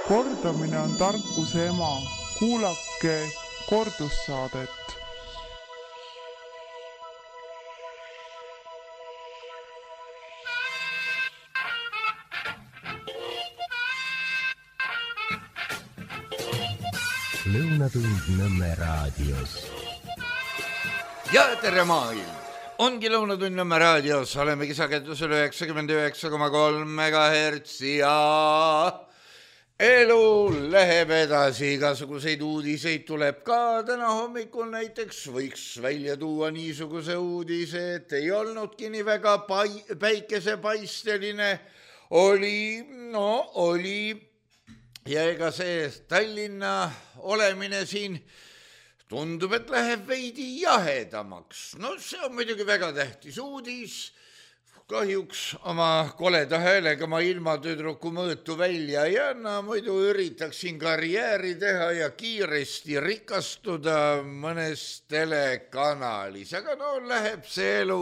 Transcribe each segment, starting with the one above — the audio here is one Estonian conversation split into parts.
Kordamine on tarkuse ema. Kuulake kordussaadet. Lõunatund Nõmme raadios. Ja tere maailm! Ongi Lõunatund Nõmme raadios, oleme kisakettusel 99,3 MHz ja elu läheb edasi, igasuguseid uudiseid tuleb ka. Täna hommikul näiteks võiks välja tuua niisuguse uudise, et ei olnudki nii väga päikesepaisteline, oli ja ega see Tallinna olemine siin tundub, et läheb veidi jahedamaks. No see on muidugi väga tähtis uudis. Kahjuks oma koleda häälega ma ilma tüdruku mõõtu välja ei anna, muidu üritaksin karjääri teha ja kiiresti rikastuda mõnes telekanalis. Aga läheb see elu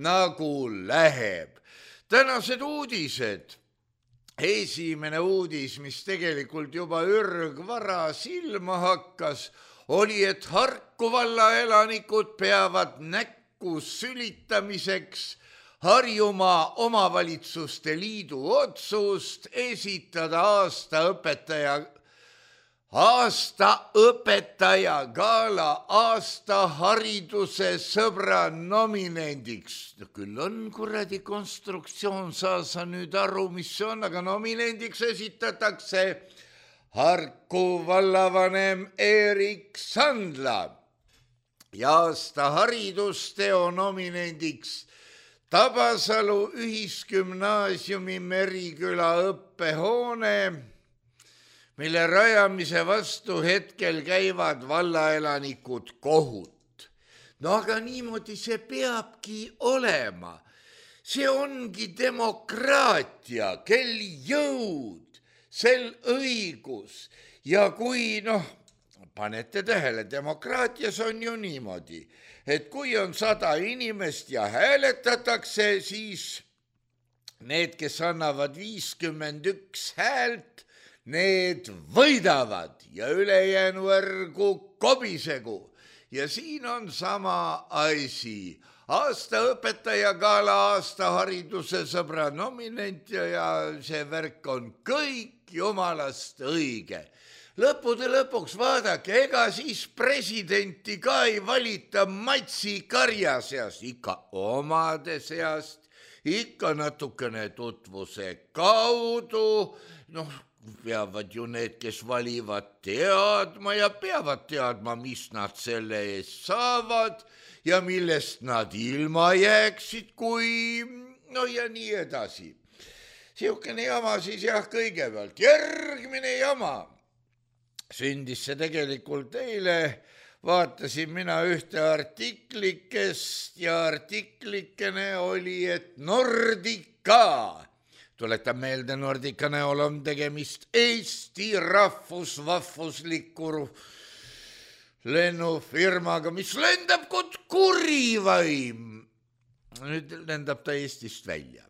nagu läheb. Tänased uudised. Esimene uudis, mis tegelikult juba ürgvara silma hakkas, oli, et Harku valla elanikud peavad näkku sülitamiseks Harjumaa omavalitsuste liidu otsust esitada aasta õpetaja gala aasta hariduse sõbra nominendiks. Küll on kuradi konstruktsioon, sa nüüd aru, mis see on, aga nominendiks esitatakse Harku vallavanem Erik Sandla ja aasta haridusteo nominendiks Tabasalu ühisgümnaasiumi Meriküla õppehoone, mille rajamise vastu hetkel käivad vallaelanikud kohut. No aga niimoodi see peabki olema. See ongi demokraatia, kel jõud, sel õigus. Ja kui, panete tähele, demokraatias on ju niimoodi, et kui on 100 inimest ja hääletatakse, siis need, kes annavad 51 häält, need võidavad ja ülejäänu ärgu kobisegu. Ja siin on sama asi. Aasta õpetaja gala, aasta hariduse sõbra nominent ja see värk on kõik jumalast õige. Lõppude lõpuks vaadake, ega siis presidenti ka ei valita Matsi karja seast, ikka omade seast, ikka natukene tutvuse kaudu, peavad ju need, kes valivad teadma ja peavad teadma, mis nad selle eest saavad ja millest nad ilma jääksid, kui ja nii edasi. Siukene jama siis kõigepealt. Järgmine jama. Sündis see tegelikult eile, vaatasin mina ühte artiklikest ja artiklikene oli, et Nordica, tuletan meelde, Nordica näol on tegemist Eesti rahvusvahvusliku lennufirmaga, mis lendab kui kurivaim. Nüüd lendab ta Eestist välja.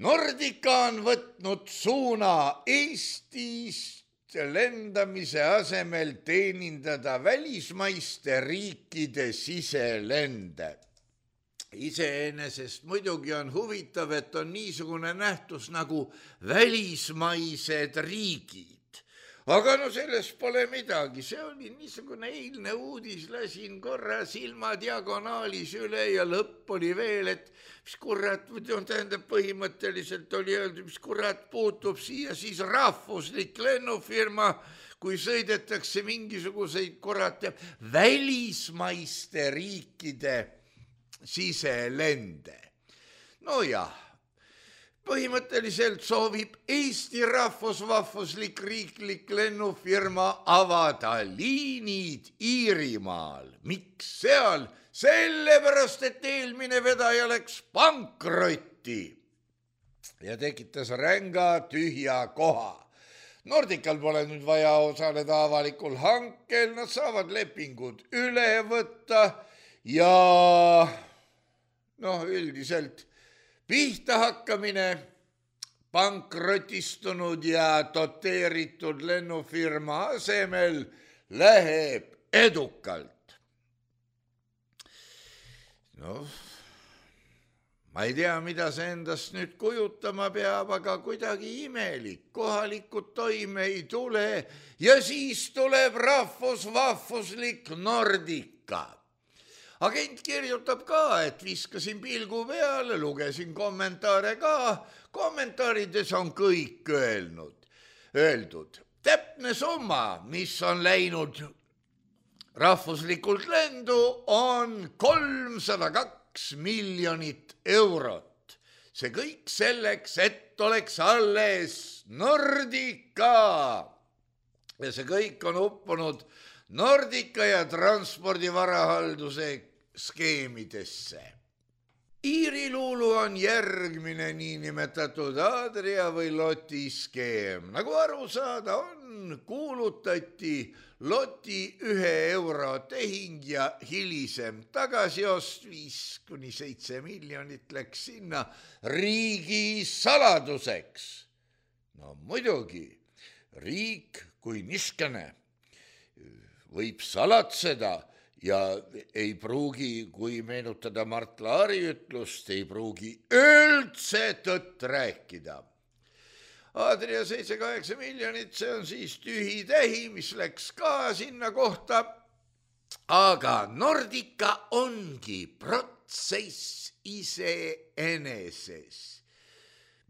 Nordica on võtnud suuna Eestist lendamise asemel teenindada välismaiste riikide siselende. Iseenesest muidugi on huvitav, et on niisugune nähtus nagu välismaised riigid. Aga sellest pole midagi, see oli niisugune eilne uudis, lasin korra silma diagonaalis üle ja lõpp oli veel, et mis kurat, tähendab põhimõtteliselt oli öeldud, mis kurat puutub siia siis rahvuslik lennufirma, kui sõidetakse mingisuguseid kurat välismaiste riikide siselende. Põhimõtteliselt soovib Eesti rahvusvahvuslik riiklik lennufirma avada liinid Iirimaal. Miks seal? Sellepärast, et eelmine vedaja läks pankrotti ja tekitas ränga tühja koha. Nordical pole nüüd vaja osaleda avalikul hankel, nad saavad lepingud üle võtta ja üldiselt pihta hakkamine pankrotistunud ja doteeritud lennufirma asemel läheb edukalt. Noh, ma ei tea, mida see endast nüüd kujutama peab, aga kuidagi imelik. Kohalikud toime ei tule ja siis tuleb rahvusvahvuslik Nordica. Agent kirjutab ka, et viskasin pilgu peale, lugesin kommentaare ka. Kommentaarides on kõik öeldud. Täpne summa, mis on läinud rahvuslikult lendu, on 302 miljonit eurot. See kõik selleks, et oleks alles Nordica. Ja see kõik on uppunud Nordica ja transpordivarahalduse skeemidesse. Iiriluulu on järgmine niinimetatud Adria või Loti skeem. Nagu aru saada on, kuulutati Loti 1 euro tehing ja hilisem tagasiost 5-7 miljonit läks sinna riigi saladuseks. No muidugi, riik kui niskene võib salatseda ja ei pruugi, kui meenutada Mart Laari ütlust, ei pruugi üldse tõtt rääkida. Adria 7-8 miljonit, see on siis tühi tähi, mis läks ka sinna kohta. Aga Nordica ongi protsess iseeneses,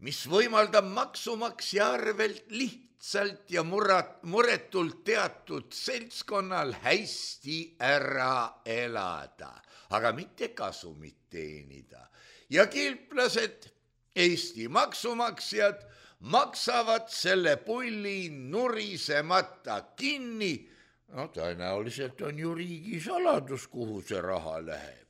mis võimaldab maksumaksja arvelt lihtsalt ja muretult teatud seltskonnal hästi ära elada, aga mitte kasumit teenida. Ja kilplased, Eesti maksumaksjad, maksavad selle pulli nurisemata kinni. No tõenäoliselt on ju riigi saladus, kuhu see raha läheb.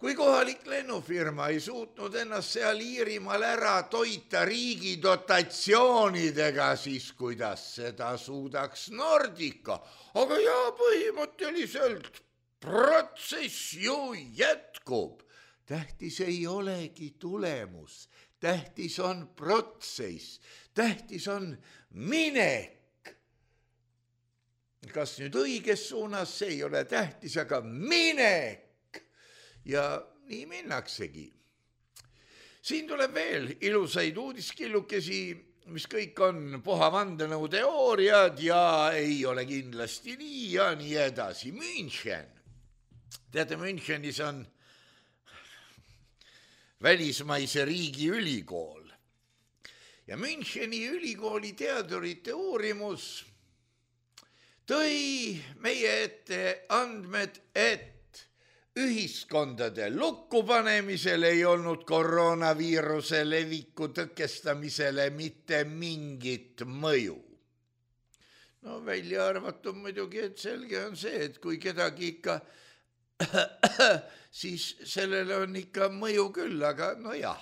Kui kohalik lennufirma ei suutnud ennast seal Iirimaal ära toita riigi dotatsioonidega, siis kuidas seda suudaks Nordica? Aga jaa, põhimõtteliselt protsess ju jätkub. Tähtis ei olegi tulemus, tähtis on protsess, tähtis on minek. Kas nüüd õiges suunas, see ei ole tähtis, aga minek. Ja nii minnaksegi. Siin tuleb veel ilusaid uudiskillukesi, mis kõik on puha vandenõuteooriad ja ei ole kindlasti nii ja nii edasi. München. Teate, Münchenis on välismaise riigi ülikool. Ja Müncheni ülikooli teadurite uurimus tõi meie ette andmed, et ühiskondade lukkupanemisel ei olnud koroonaviiruse leviku tõkestamisele mitte mingit mõju. No välja arvatud muidugi, et selge on see, et kui kedagi ikka, siis sellele on ikka mõju küll, aga no jah.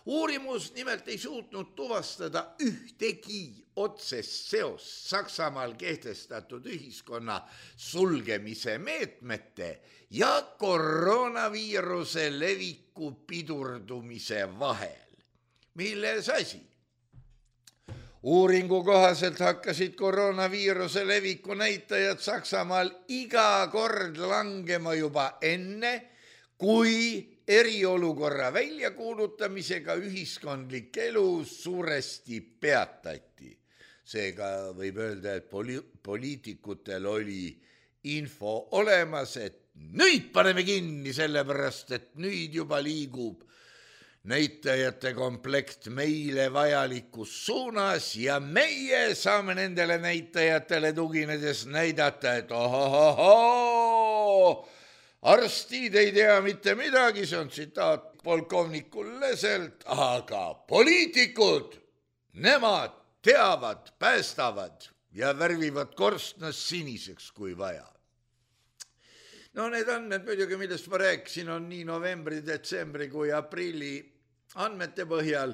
Uurimus nimelt ei suutnud tuvastada ühtegi otsest seost Saksamaal kehtestatud ühiskonna sulgemise meetmete ja koroonaviiruse leviku pidurdumise vahel. Milles asi? Uuringu kohaselt hakkasid koroonaviiruse leviku näitajad Saksamaal iga kord langema juba enne, kui eriolukorra väljakuulutamisega ühiskondlik elu suuresti peatati. Seega võib öelda, et poliitikutel oli info olemas, et nüüd paneme kinni, sellepärast et nüüd juba liigub näitajate komplekt meile vajalikus suunas ja meie saame nendele näitajatele tuginedes näidata, et ohohohoo, arstid ei tea mitte midagi, see on tsitaat polkovnikul Leselt, aga poliitikud, nemad teavad, päästavad ja värvivad korstnas siniseks, kui vaja. No need andmed muidugi, millest ma rääkisin, on nii novembri, detsembri kui aprilli andmete põhjal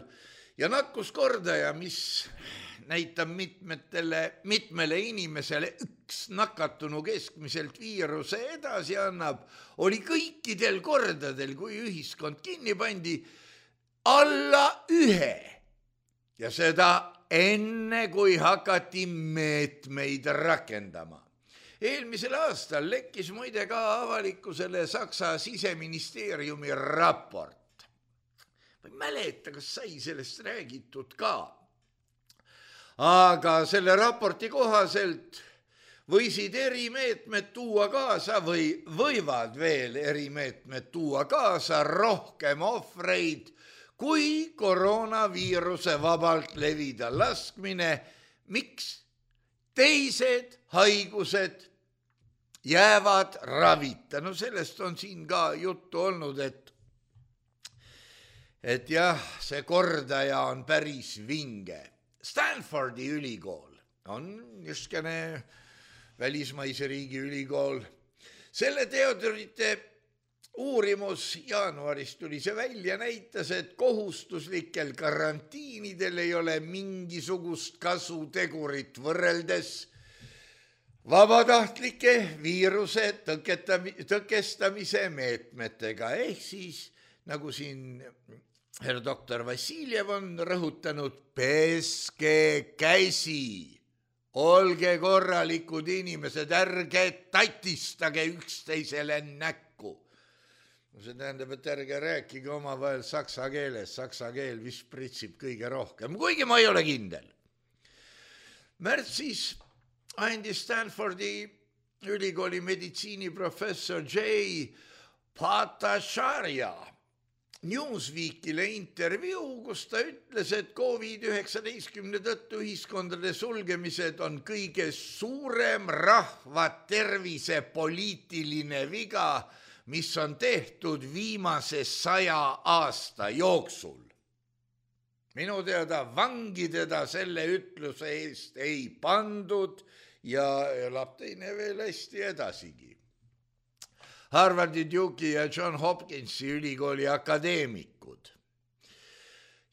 ja nakkuskordaja, mis näitab mitmele inimesele üks nakatunu keskmiselt viiruse edasi annab, oli kõikidel kordadel, kui ühiskond kinni pandi, alla 1. ja seda enne, kui hakati meetmeid rakendama. Eelmisel aastal lekkis muide ka avalikkusele Saksa siseministeeriumi raport. Ma ei mäleta, kas sai sellest räägitud ka. Aga selle raporti kohaselt võisid erimeetmed tuua kaasa või võivad veel erimeetmed tuua kaasa rohkem ohvreid, kui koroonaviiruse vabalt levida laskmine. Miks? Teised haigused jäävad ravita. No sellest on siin ka juttu olnud, et jah, see kordaja on päris vinge. Stanfordi ülikool on niisugune välismaise riigi ülikool. Selle teadurite uurimus jaanuaris tuli see välja, näitas, et kohustuslikel karantiinidel ei ole mingisugust kasutegurit võrreldes vabatahtlike viiruse tõkestamise meetmetega. Ehk siis, nagu siin herr doktor Vassiljev on rõhutanud, peske käsi. Olge korralikud inimesed, ärge tatistage üksteisele näkku. See tähendab, et ärge rääkige omavahel saksa keeles. Saksa keel vist pritsib kõige rohkem, kuigi ma ei ole kindel. Märtsis andis Stanfordi ülikooli meditsiiniprofessor J. Bhattacharya Newsweekile intervjuu, kus ta ütles, et COVID-19 tõttu ühiskondade sulgemised on kõige suurem rahva tervise poliitiline viga, mis on tehtud viimase 100 aasta jooksul. Minu teada vangi teda selle ütluse eest ei pandud ja elab teine veel hästi edasigi. Harvardi, Duke'i ja John Hopkinsi ülikooli akadeemikud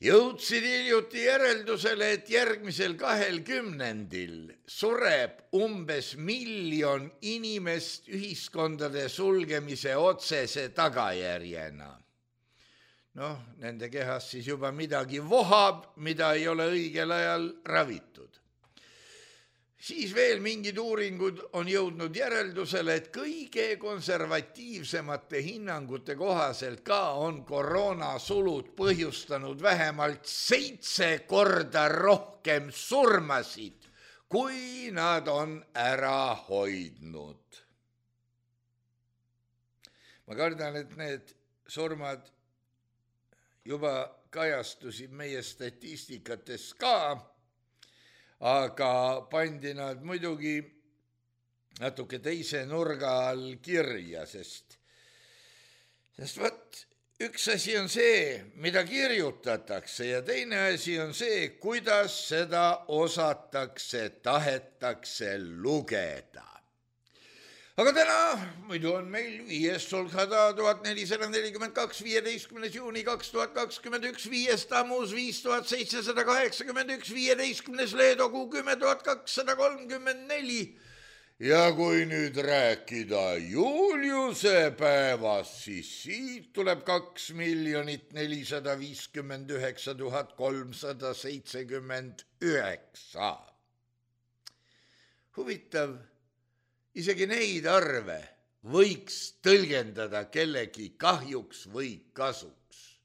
jõudsid hiljuti järeldusele, et järgmisel 20 sureb umbes 1 miljon inimest ühiskondade sulgemise otsese tagajärjena. Nende kehas siis juba midagi vohab, mida ei ole õigel ajal ravitud. Siis veel mingid uuringud on jõudnud järeldusele, et kõige konservatiivsemate hinnangute kohaselt ka on koroonasulud põhjustanud vähemalt 7 korda rohkem surmasid, kui nad on ära hoidnud. Ma kardan, et need surmad juba kajastusid meie statistikates ka, aga pandi nad muidugi natuke teise nurga all kirja, sest üks asi on see, mida kirjutatakse ja teine asi on see, kuidas seda osatakse, tahetakse lugeda. Aga täna muidu on meil 5. Sulkhada 1442, 15. juuni 2021, 5. Tammus 5781, 15. Leedogu 10234. Ja kui nüüd rääkida Juliuse päevast, siis siit tuleb 2 459 379. Huvitav. Isegi neid arve võiks tõlgendada kellegi kahjuks või kasuks.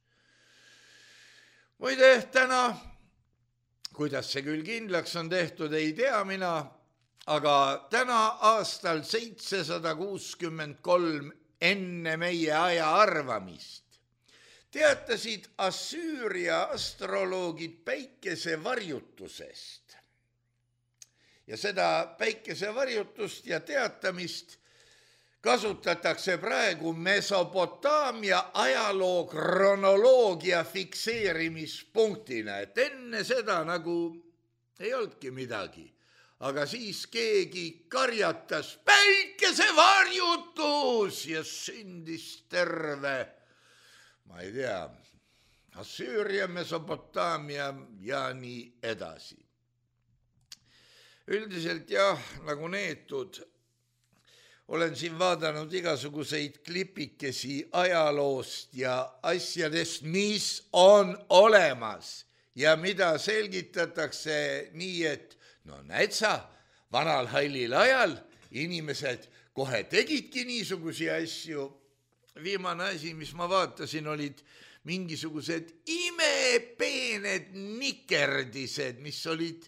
Muide, täna, kuidas see küll kindlaks on tehtud, ei tea mina, aga täna aastal 763 enne meie aja arvamist teatasid Assüüria astroloogid päikesevarjutusest. Ja seda päikesevarjutust ja teatamist kasutatakse praegu Mesopotaamia ajaloo kronoloogia fikseerimispunktina, et enne seda nagu ei olnudki midagi. Aga siis keegi karjatas päikesevarjutus ja sündis terve, ma ei tea, Assüüria, Mesopotaamia ja nii edasi. Üldiselt jah, nagu neetud, olen siin vaadanud igasuguseid klipikesi ajaloost ja asjadest, mis on olemas ja mida selgitatakse nii, et no näed sa, vanal hallil ajal inimesed kohe tegidki niisugusi asju. Viimane asi, mis ma vaatasin, olid mingisugused imepeened nikerdised, mis olid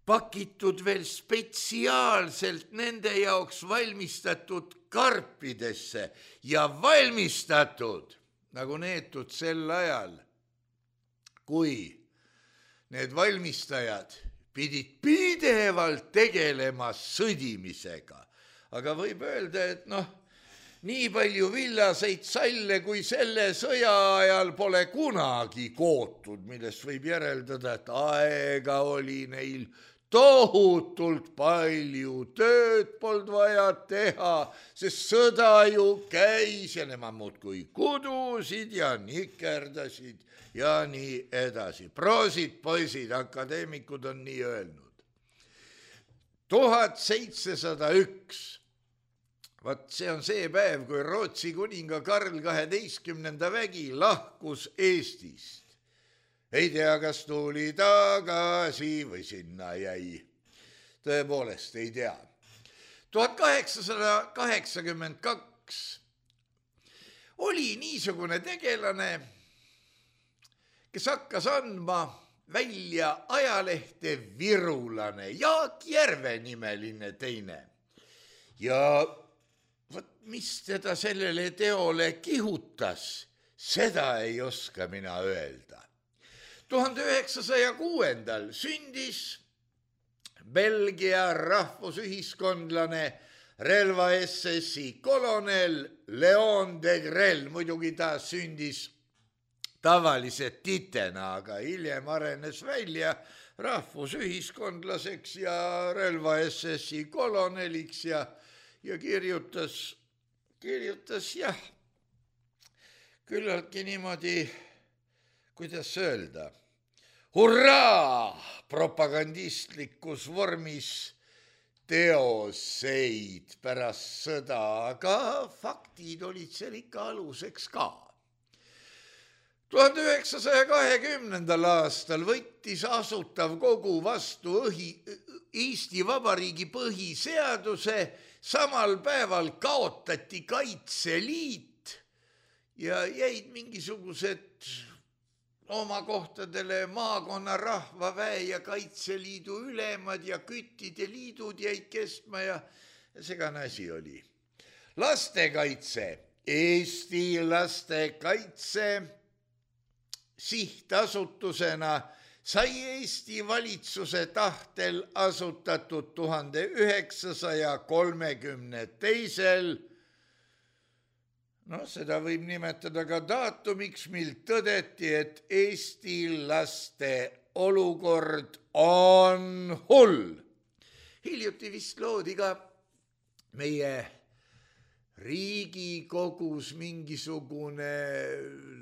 pakitud veel spetsiaalselt nende jaoks valmistatud karpidesse ja valmistatud nagu neetud sel ajal, kui need valmistajad pidid pidevalt tegelema sõdimisega. Aga võib öelda, et nii palju villaseid salle, kui selle sõja ajal pole kunagi kootud, millest võib järeldada, et aega oli neil tohutult palju, tööd polnud vaja teha, sest sõda ju käis ja nemad muudkui kudusid ja nikerdasid ja nii edasi. Proosid, poisid, akadeemikud on nii öelnud. 1701. Vaat see on see päev, kui Rootsi kuninga Karl 12. vägi lahkus Eestist. Ei tea, kas tuli tagasi või sinna jäi. Tõepoolest ei tea. 1882 oli niisugune tegelane, kes hakkas andma välja ajalehte Virulane, Jaak Järve nimeline teine. Ja mis teda sellele teole kihutas, seda ei oska mina öelda. 1906. sündis Belgia rahvusühiskondlane relva SS-i kolonel Leon de Grell. Muidugi ta sündis tavalise titena, aga hiljem arenes välja rahvusühiskondlaseks ja relva SS-i koloneliks ja kirjutas jah, küllaltki niimoodi, kuidas öelda, hurraa propagandistlikus vormis teoseid pärast sõda, aga faktid olid seal ikka aluseks ka. 1920. aastal võttis Asutav Kogu vastu Eesti Vabariigi põhiseaduse, samal päeval kaotati Kaitseliit ja jäid mingisugused oma kohtadele maakonna rahvaväe ja Kaitseliidu ülemad ja küttide liidud jäid kestma ja segane asi oli. Lastekaitse, Eesti Lastekaitse sihtasutusena sai Eesti valitsuse tahtel asutatud 1932. Seda võib nimetada ka daatumiks, mil tõdeti, et Eesti laste olukord on hull. Hiljuti vist loodi ka meie Riigikogus mingisugune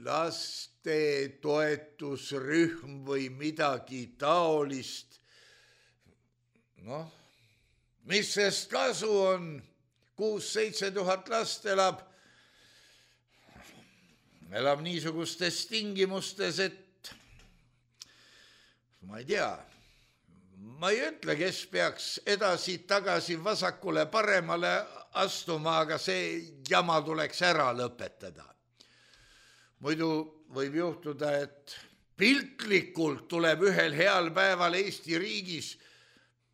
laste toetusrühm või midagi taolist. Mis sest kasu on? 6-7 tuhat last elab niisugustes tingimustes, et ma ei tea, ma ei ütle, kes peaks edasi-tagasi vasakule paremale astuma, aga see jama tuleks ära lõpetada. Muidu võib juhtuda, et piltlikult tuleb ühel heal päeval Eesti riigis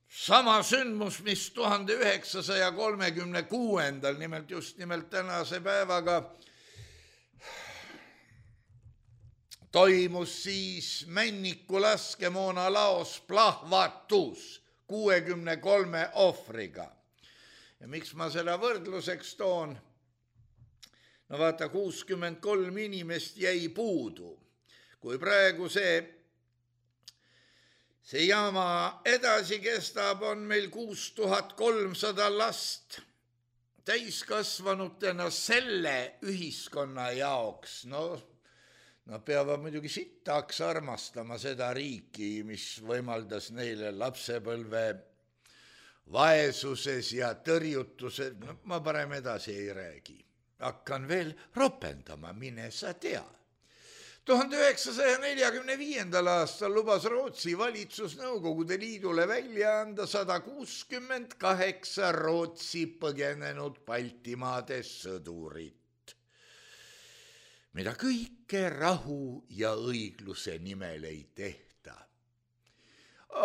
sama sündmus, mis 1936. Nimelt tänase päevaga toimus siis Männiku laskemoona laos plahvatus 63 ohvriga. Ja miks ma seda võrdluseks toon? Vaata, 63 inimest jäi puudu. Kui praegu see jama edasi kestab, on meil 6300 last täiskasvanutena selle ühiskonna jaoks. Nad peavad muidugi sitaks armastama seda riiki, mis võimaldas neile lapsepõlve vaesuses ja tõrjutuses. Ma parem edasi ei räägi. Hakkan veel ropendama, mine sa tea. 1945. aastal lubas Rootsi valitsus Nõukogude Liidule välja anda 168 Rootsi põgenenud Baltimaade sõdurit, mida kõike rahu ja õigluse nimel ei tehta.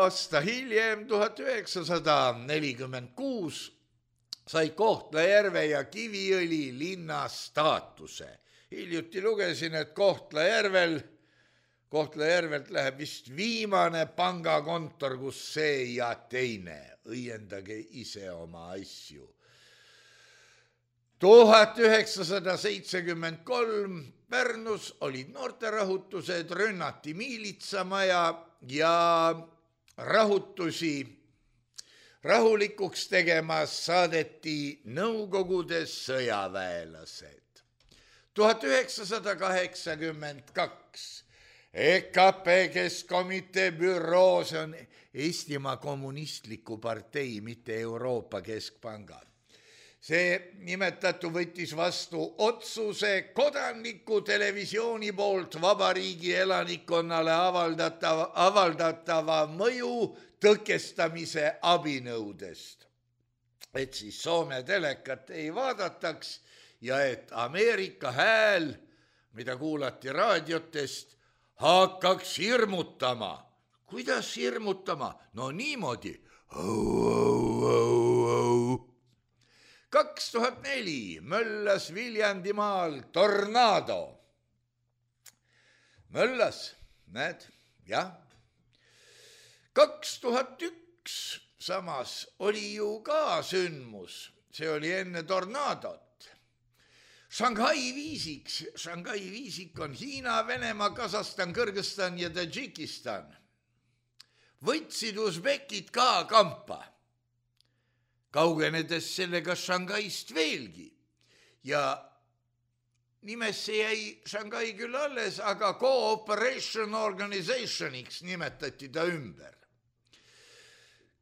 Aasta hiljem, 1946, sai Kohtla-Järve ja Kiviõli linna staatuse. Hiljuti lugesin, et Kohtla-Järvelt läheb vist viimane pangakontor, kus see ja teine. Õiendage ise oma asju. 1973 Pärnus olid noorterahutused, rünnati miilitsamaja ja rahutusi rahulikuks tegemas saadeti Nõukogude sõjaväelased. 1982 EKP Keskkomitee büroo, see on Eestimaa Kommunistliku Partei, mitte Euroopa Keskpanga. See nimetatu võttis vastu otsuse Kodaniku televisiooni poolt vabariigi elanikkonnale avaldatava mõju tõkestamise abinõudest. Et siis Soome telekat ei vaadataks ja et Ameerika hääl, mida kuulati raadiotest, hakkaks hirmutama. Kuidas hirmutama? No niimoodi. 2004 möllas Viljandimaal tornaado. Möllas, näed, jah. 2001 samas oli ju ka sündmus, see oli enne tornaadot. Shanghai viisik on Hiina, Venemaa, Kasahstan, Kõrgõzstan ja Tadžikistan. Võtsid usbekid ka kampa, kaugenedes sellega Shanghaist veelgi. Ja nimesse jäi Shanghai küll alles, aga Cooperation Organizationiks nimetati ta ümber.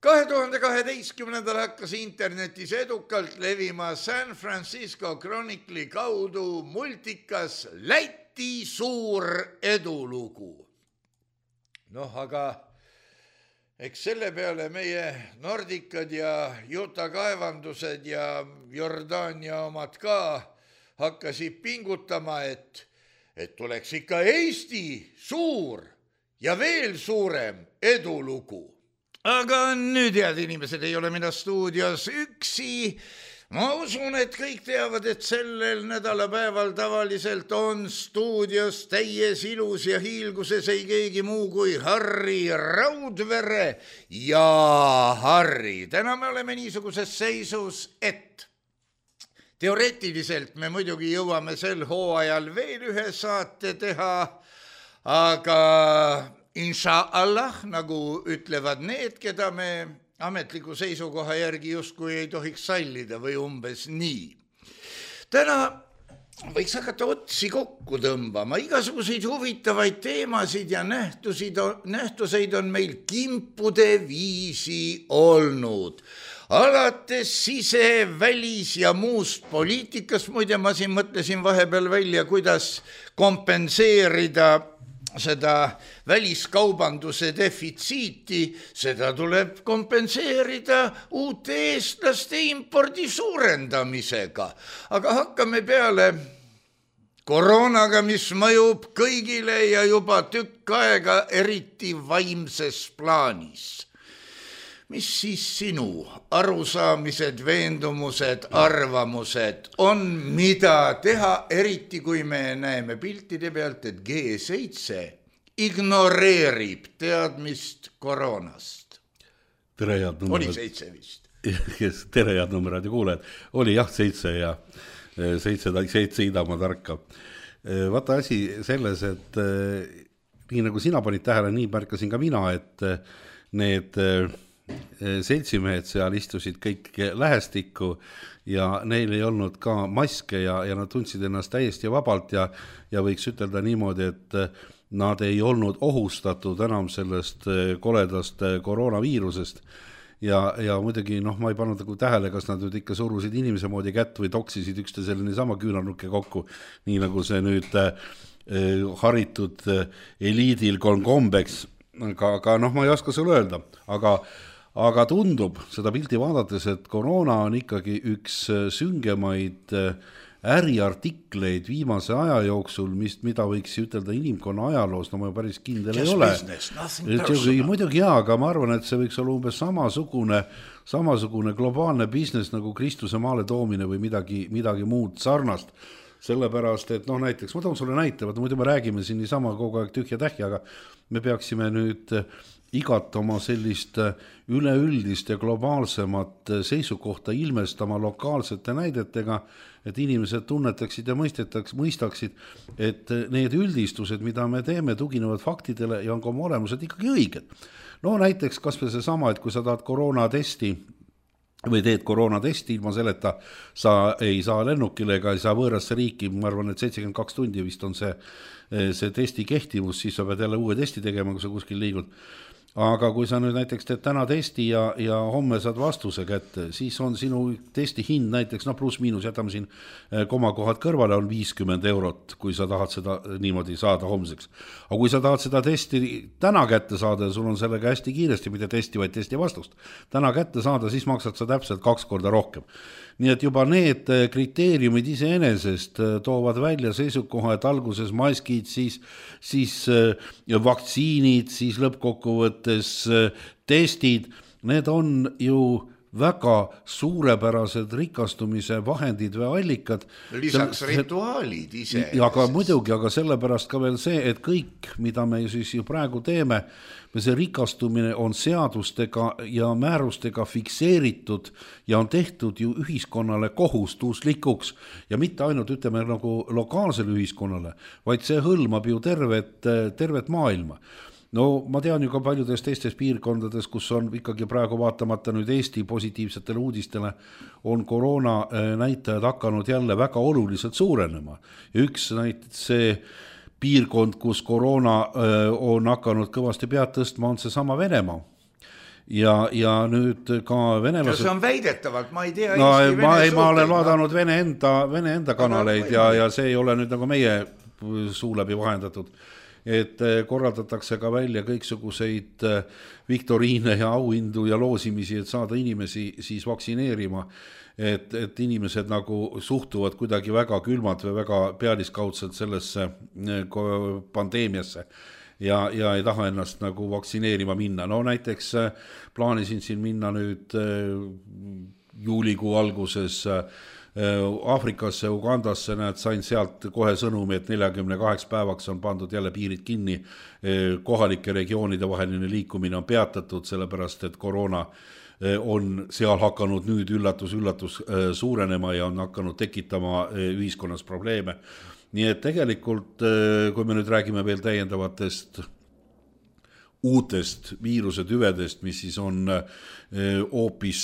2012. hakkas internetis edukalt levima San Francisco Chronicle'i kaudu multikas Läti suur edulugu. Noh, aga eks selle peale meie Nordicad ja Utah kaevandused ja Jordaania omad ka hakkasid pingutama, et tuleks ikka Eesti suur ja veel suurem edulugu. Aga nüüd, head inimesed, ei ole mina stuudios üksi. Ma usun, et kõik teavad, et sellel nädalapäeval tavaliselt on stuudios täies ilus ja hiilguses ei keegi muu kui Harri Raudvere. Ja Harri, täna me oleme niisuguses seisus, et teoreetiliselt me muidugi jõuame sel hooajal veel ühe saate teha, aga Inšaallah, nagu ütlevad need, keda me ametliku seisukoha järgi justkui ei tohiks sallida või umbes nii. Täna võiks hakata otsi kokku tõmbama, igasuguseid huvitavaid teemasid ja nähtuseid on meil kimpude viisi olnud. Alates sise-, välis- ja muust poliitikast, muide ma siin mõtlesin vahepeal välja, kuidas kompenseerida seda väliskaubanduse defitsiiti, seda tuleb kompenseerida uute eestlaste impordi suurendamisega. Aga hakkame peale koroonaga, mis mõjub kõigile ja juba tükk aega eriti vaimses plaanis. Mis siis sinu arusaamised, veendumused, arvamused on, mida teha, eriti kui me näeme piltide pealt, et G7 ignoreerib teadmist koroonast? Tere, head numerad. Oli 7 vist. Tere, head numerad ja kuulejad. Oli jah 7 ja 7 Idamaa tarka. Vaata asi selles, et nii nagu sina panid tähele, nii märkasin ka mina, et need seltsimehed seal istusid kõik lähestikku ja neil ei olnud ka maske ja nad tundsid ennast täiesti vabalt ja võiks ütelda niimoodi, et nad ei olnud ohustatud enam sellest koledast koroonaviirusest ja muidugi ma ei pannud tähele, kas nad nüüd ikka surusid inimese moodi kätt või toksisid üksteisele niisama küünarnukke kokku, nii nagu see nüüd haritud eliidil kombeks, aga noh, ma ei oska sulle öelda, aga tundub seda pildi vaadates, et koroona on ikkagi üks süngemaid äriartikleid viimase aja jooksul, mida võiks ütelda inimkonna ajaloos, no ma päris kindel ei ole. Muidugi jaa, aga ma arvan, et see võiks olla umbes samasugune globaalne business nagu Kristuse maale toomine või midagi muud sarnast. Sellepärast, et näiteks, ma toon sulle näite, muidu me räägime siin niisama kogu aeg tühja tähja, aga me peaksime nüüd igat oma sellist üleüldist ja globaalsemat seisukohta ilmestama lokaalsete näidetega, et inimesed tunnetaksid ja mõistaksid, et need üldistused, mida me teeme, tuginevad faktidele ja on ka oma olemused ikkagi õiged. No näiteks kas või see sama, et kui sa tahad koroonatesti või teed koroonatesti ilma selleta, sa ei saa lennukile ega ei saa võõrasse riiki, ma arvan, et 72 tundi vist on see testi kehtivus, siis sa pead jälle uue testi tegema, kui sa kuskil liigud. Aga kui sa nüüd näiteks teed täna testi ja homme saad vastuse kätte, siis on sinu testi hind näiteks, pluss miinus, jätame siin komakohad kõrvale, on 50 €, kui sa tahad seda niimoodi saada homseks. Aga kui sa tahad seda testi täna kätte saada ja sul on sellega hästi kiiresti, mitte testi, vaid testi vastust, täna kätte saada, siis maksad sa täpselt 2 korda rohkem. Nii et juba need kriteeriumid iseenesest toovad välja seisukoha, et alguses maskid, siis vaktsiinid, siis lõppkokkuvõttes testid, need on ju väga suurepärased rikastumise vahendid või allikad. Lisaks rituaalid ise. Aga muidugi, aga sellepärast ka veel see, et kõik, mida me siis ju praegu teeme, see rikastumine on seadustega ja määrustega fikseeritud ja on tehtud ju ühiskonnale kohustuslikuks ja mitte ainult ütleme nagu lokaalsele ühiskonnale, vaid see hõlmab ju tervet maailma. No ma tean ju ka paljudes teistes piirkondades, kus on ikkagi praegu vaatamata nüüd Eesti positiivsetele uudistele, on koroona näitajad hakanud jälle väga oluliselt suurenema. Ja üks näiteks see piirkond, kus koroona on hakanud kõvasti pead tõstma, on see sama Venemaa. Ja nüüd ka venelased... See on väidetavalt, ma ei tea... Ma olen vaadanud Vene enda kanaleid ja see ei ole nüüd nagu meie suu läbi vahendatud. Et korraldatakse ka välja kõiksuguseid viktoriine ja auhindu ja loosimisi, et saada inimesi siis vaktsineerima, et inimesed nagu suhtuvad kuidagi väga külmalt või väga pealiskaudselt sellesse pandeemiasse ja ei taha ennast nagu vaktsineerima minna. No näiteks plaanisin siin minna nüüd juulikuu alguses Aafrikasse, Ugandasse, sain sealt kohe sõnumi, et 48 päevaks on pandud jälle piirid kinni, kohalike regioonide vaheline liikumine on peatatud, sellepärast et koroona on seal hakanud nüüd üllatus suurenema ja on hakanud tekitama ühiskonnas probleeme. Nii et tegelikult, kui me nüüd räägime veel täiendavatest uutest viirusetüvedest, mis siis on hoopis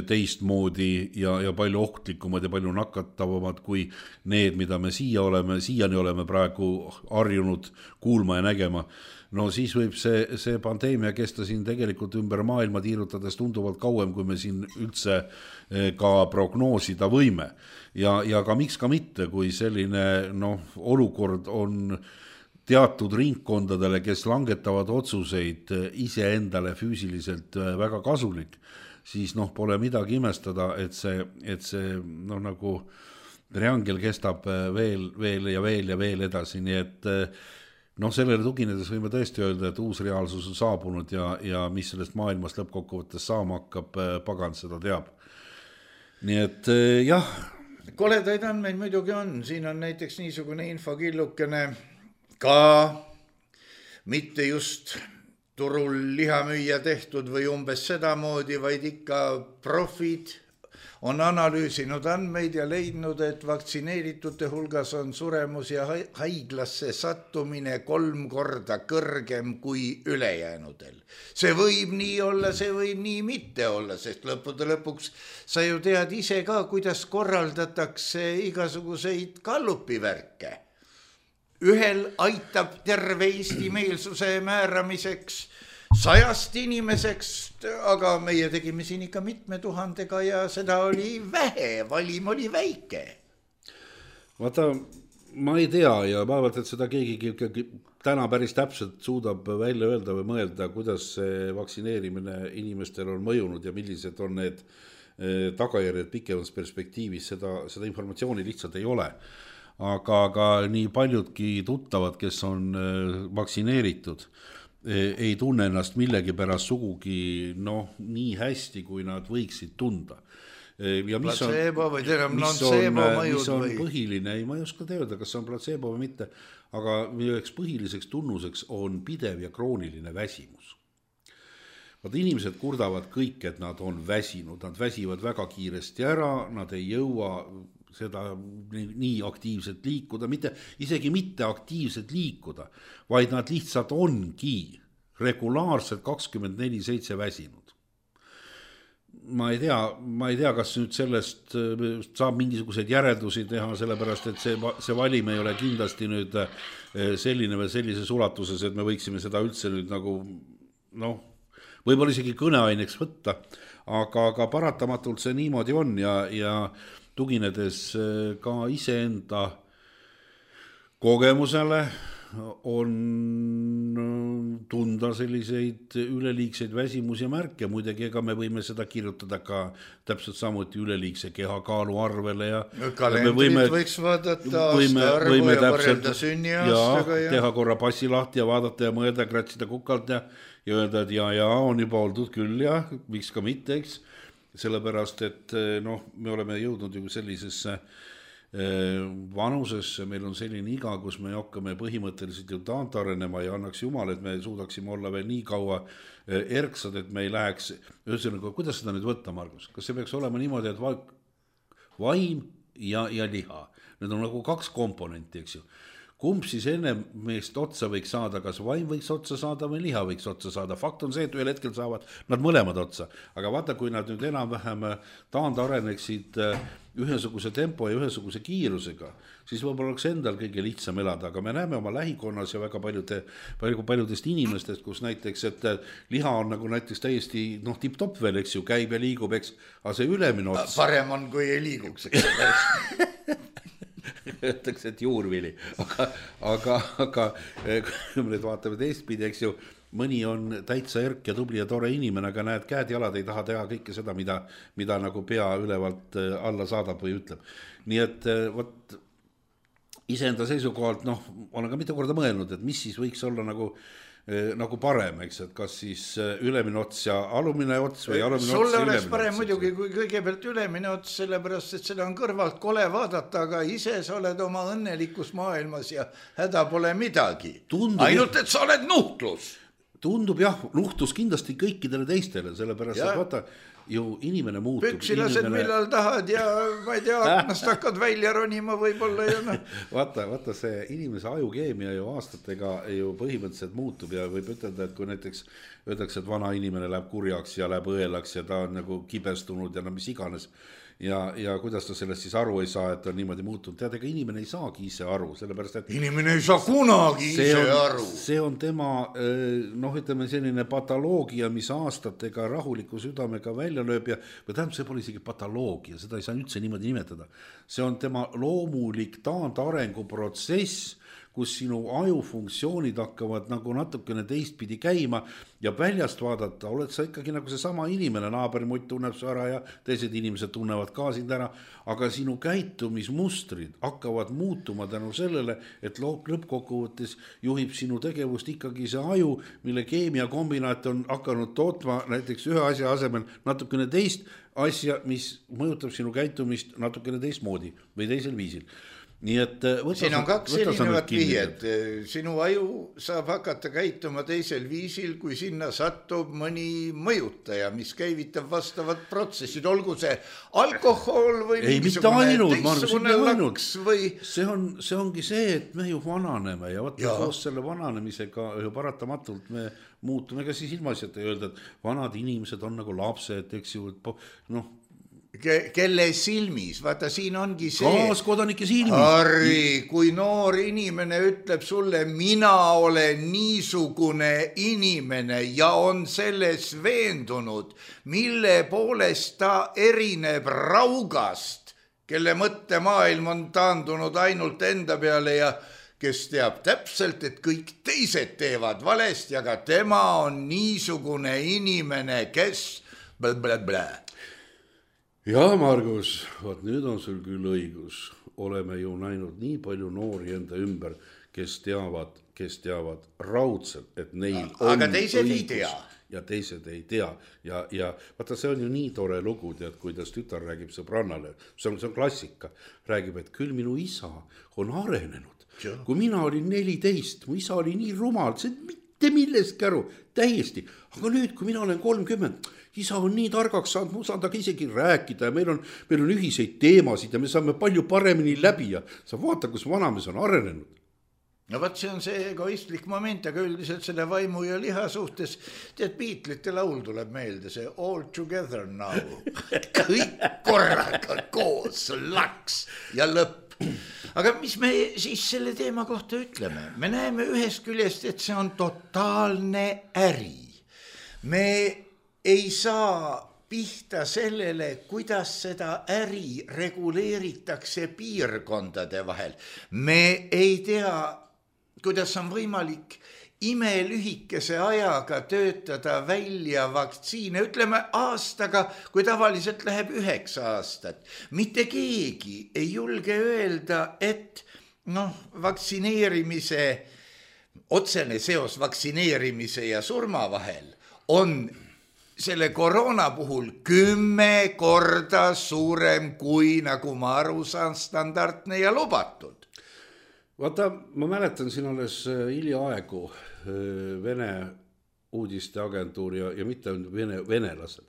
teistmoodi ja palju ohtlikumad ja palju nakatavamad kui need, mida me siiani oleme praegu harjunud kuulma ja nägema. No siis võib see pandeemia kesta siin tegelikult ümber maailma tiirutades tunduvalt kauem, kui me siin üldse ka prognoosida võime. Ja ka miks ka mitte, kui selline olukord on teatud ringkondadele, kes langetavad otsuseid iseendale füüsiliselt väga kasulik, siis pole midagi imestada, et see nagu triangel kestab veel ja veel edasi, nii et sellele tuginedes võime tõesti öelda, et uus reaalsus on saabunud ja mis sellest maailmast lõppkokkuvõttes saama hakkab, pagan seda teab. Nii et jah. Koledaid andmeid muidugi on, siin on näiteks niisugune infokillukene ka mitte just turul lihamüüja tehtud või umbes sedamoodi, vaid ikka profid on analüüsinud andmeid ja leidnud, et vaktsineeritute hulgas on suremus ja haiglasse sattumine 3 korda kõrgem kui ülejäänudel. See võib nii olla, see võib nii mitte olla, sest lõppude lõpuks sa ju tead ise ka, kuidas korraldatakse igasuguseid gallupivärke. Ühel aitab terve Eesti meelsuse määramiseks 100 inimeseks, aga meie tegime siin ikka mitme tuhandega ja seda oli vähe, valim oli väike. Vaata, ma ei tea ja vaevalt, et seda keegi täna päris täpselt suudab välja öelda või mõelda, kuidas see vaktsineerimine inimestel on mõjunud ja millised on need tagajärjed pikemas perspektiivis, seda informatsiooni lihtsalt ei ole. Aga nii paljudki tuttavad, kes on vaktsineeritud, ei tunne ennast millegi pärast sugugi nii hästi, kui nad võiksid tunda. Ja mis on põhiline, ma ei oska teada, kas see on placebo või mitte, aga üheks põhiliseks tunnuseks on pidev ja krooniline väsimus. Inimesed kurdavad kõik, et nad on väsinud, nad väsivad väga kiiresti ära, nad ei jõua seda nii aktiivselt liikuda, isegi mitte aktiivselt liikuda, vaid nad lihtsalt ongi regulaarselt 24/7 väsinud. Ma ei tea, kas nüüd sellest saab mingisuguseid järeldusi teha, sellepärast, et see valim ei ole kindlasti nüüd selline või sellises ulatuses, et me võiksime seda üldse nüüd nagu, võib-olla isegi kõneaineks võtta, aga paratamatult see niimoodi on ja tuginedes ka iseenda kogemusele on tunda selliseid üleliigseid väsimusi märke, muidugi ega me võime seda kirjutada ka täpselt samuti üleliigse kehakaalu arvele ja kalendrit võiks vaadata aastaarvu ja võrrelda sünniaastaga ja teha korra passi lahti ja vaadata ja mõelda, kratsida kukalt ja öelda, et ja on juba oldud küll ja miks ka mitte, eks, sellepärast, et me oleme jõudnud ju sellisesse vanusesse, meil on selline iga, kus me hakkame põhimõtteliselt ju taantarenema ja annaks jumal, et me suudaksime olla veel nii kaua erksad, et me ei läheks, ühesõnaga, kuidas seda nüüd võtta, Margus? Kas see peaks olema niimoodi, et vaim ja liha? Need on nagu kaks komponenti, eks ju. Kumb siis enne meest otsa võiks saada, kas vaim võiks otsa saada või liha võiks otsa saada? Fakt on see, et ühel hetkel saavad nad mõlemad otsa. Aga vaata, kui nad nüüd enam-vähem taandareneksid ühesuguse tempo ja ühesuguse kiirusega, siis võib-olla oleks endal kõige lihtsam elada, aga me näeme oma lähikonnas ja väga paljudest inimestest, kus näiteks, et liha on nagu näiteks täiesti tipp-topp veel, eks ju, käib ja liigub, eks, aga see ülemine ots. Parem on, kui ei liiguks, eks. Öeldakse, et juurvili, aga kui me nüüd vaatame teistpidi, eks ju, mõni on täitsa erk ja tubli ja tore inimene, aga näed, käed jalad ei taha teha kõike seda, mida nagu pea ülevalt alla saadab või ütleb. Nii et võt, iseenda seisukohalt, olen ka mitu korda mõelnud, et mis siis võiks olla nagu parem, eks, et kas siis ülemine ots ja alumine ots või alumine ots ja sulle ülemine oleks parem muidugi, kui kõigepealt ülemine ots, sellepärast, et seda on kõrvalt kole vaadata, aga ise sa oled oma õnnelikus maailmas ja häda pole midagi. Ainult, et sa oled nuhtlus. Tundub jah, nuhtlus kindlasti kõikidele teistele, sellepärast, et vaata, ju inimene muutub. Püksilased millal tahad ja ma ei tea, aknast hakkad välja ronima võib-olla ja Vaata see inimese ajukeemia ju aastatega ju põhimõtteliselt muutub ja võib ütelda, et kui näiteks öeldakse, et vana inimene läheb kurjaks ja läheb õelaks ja ta on nagu kibestunud ja mis iganes ja kuidas ta sellest siis aru ei saa, et ta on niimoodi muutunud. Tead, ega inimene ei saagi ise aru, sellepärast, et inimene ei saa kunagi ise aru. See on tema, ütleme selline patoloogia, mis aastatega rahuliku südamega välja lööb ja tähendab, see pole isegi patoloogia, seda ei saa üldse niimoodi nimetada. See on tema loomulik taandarengu protsess, kus sinu ajufunktsioonid hakkavad nagu natukene teistpidi käima ja väljast vaadata, oled sa ikkagi nagu see sama inimene, naaberimutt tunneb su ära ja teised inimesed tunnevad ka sind ära, aga sinu käitumismustrid hakkavad muutuma tänu sellele, et lõppkokkuvõttes juhib sinu tegevust ikkagi see aju, mille keemiakombinaat on hakanud tootma näiteks ühe asja asemel natukene teist asja, mis mõjutab sinu käitumist natukene teistmoodi või teisel viisil. Nii et siin on kaks erinevat vihjet. Sinu aju saab hakata käituma teisel viisil, kui sinna satub mõni mõjutaja, mis käivitab vastavat protsessid, olgu see alkohol või teistsugune laks või... See ongi see, et me ju vananeme ja koos selle vananemisega ju paratamatult me muutume ka siis ilmaasjata öelda, et vanad inimesed on nagu lapsed, eks ju, kelle silmis, vaata siin ongi see kaaskodanike silmis. Harri, kui noor inimene ütleb sulle, mina olen niisugune inimene ja on selles veendunud, mille poolest ta erineb raugast kelle mõttemaailm on taandunud ainult enda peale ja kes teab täpselt, et kõik teised teevad valesti, aga tema on niisugune inimene, kes blablabla. Ja Margus, vaat nüüd on sul küll õigus. Oleme ju näinud nii palju noori enda ümber, kes teavad raudselt, et neil on aga teised õigus. Ei tea. Ja teised ei tea. Ja vaata, see on ju nii tore lugu, tead, kuidas tütar räägib sõbrannale. See on klassika. Räägib, et küll minu isa on arenenud. Kui mina olin 14, mu isa oli nii rumal, see mitte millestki aru, täiesti. Aga nüüd, kui mina olen 30, isa on nii targaks saanud, ma saan taga isegi rääkida ja meil on ühiseid teemasid ja me saame palju paremini läbi ja sa vaata, kus vanamees on arenenud. No vaat see on see egoistlik moment, aga üldiselt selle vaimu ja liha suhtes, tead, Beatlesite laul tuleb meelde, see All Together Now. Kõik korraga koos, laks ja lõpp. Aga mis me siis selle teema kohta ütleme? Me näeme ühest küljest, et see on totaalne äri. Me ei saa pihta sellele, kuidas seda äri reguleeritakse piirkondade vahel. Me ei tea, kuidas on võimalik imelühikese ajaga töötada välja vaktsiine, ütleme aastaga, kui tavaliselt läheb 9 aastat. Mitte keegi ei julge öelda, et vaktsineerimise, otsene seos vaktsineerimise ja surma vahel on selle koroona puhul 10 korda suurem kui, nagu ma aru saan, standardne ja lubatud. Vaata, ma mäletan siin alles hiljaaegu Vene uudisteagentuur ja mitte venelased,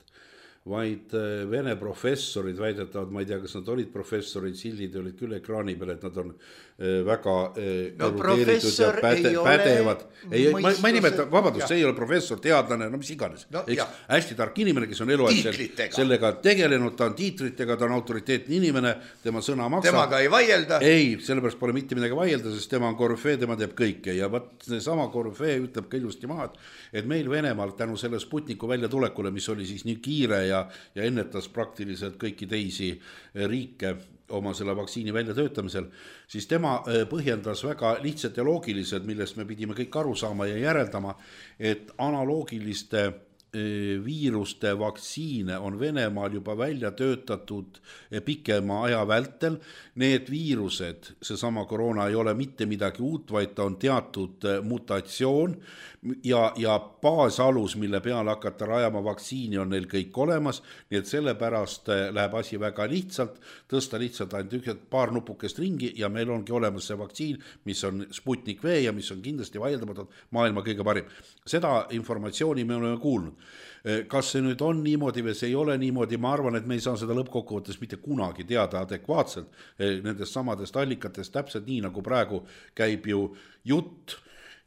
vaid Vene professorid väidetavad, ma ei tea, kas nad olid professorid, sildid olid küll ekraani peal, et nad on väga erudeeritud ja pädevad. Ma ei nimeta, vabandust, see ei ole professor, teadlane, mis iganes. Hästi tark inimene, kes on eluaeg sellega tegelenud, ta on tiitritega, ta on autoriteetne inimene, tema sõna maksab. Temaga ei vaielda? Ei, sellepärast pole mitte midagi vaielda, sest tema on korüfee, tema teeb kõike ja sama korüfee ütleb ka ilusti maad, et meil Venemaal tänu selle Sputniku välja tulekule, mis oli siis nii kiire ja ennetas praktiliselt kõiki teisi riike oma selle vaktsiini väljatöötamisel, siis tema põhjendas väga lihtsalt ja loogiliselt, millest me pidime kõik aru saama ja järeldama, et analoogiliste viiruste vaktsiine on Venemaal juba välja töötatud pikema aja vältel. Need viirused, seesama koroona ei ole mitte midagi uut, vaid ta on teatud mutatsioon ja baasalus, mille peale hakata rajama vaktsiini, on neil kõik olemas, nii et sellepärast läheb asi väga lihtsalt, tõsta lihtsalt ainult paar nupukest ringi ja meil ongi olemas see vaktsiin, mis on Sputnik V ja mis on kindlasti vaieldamatult maailma kõige parim. Seda informatsiooni me oleme kuulnud. Kas see nüüd on niimoodi või see ei ole niimoodi, ma arvan, et me ei saa seda lõppkokkuvõttes mitte kunagi teada adekvaatselt nendest samadest allikatest, täpselt nii nagu praegu käib ju jutt,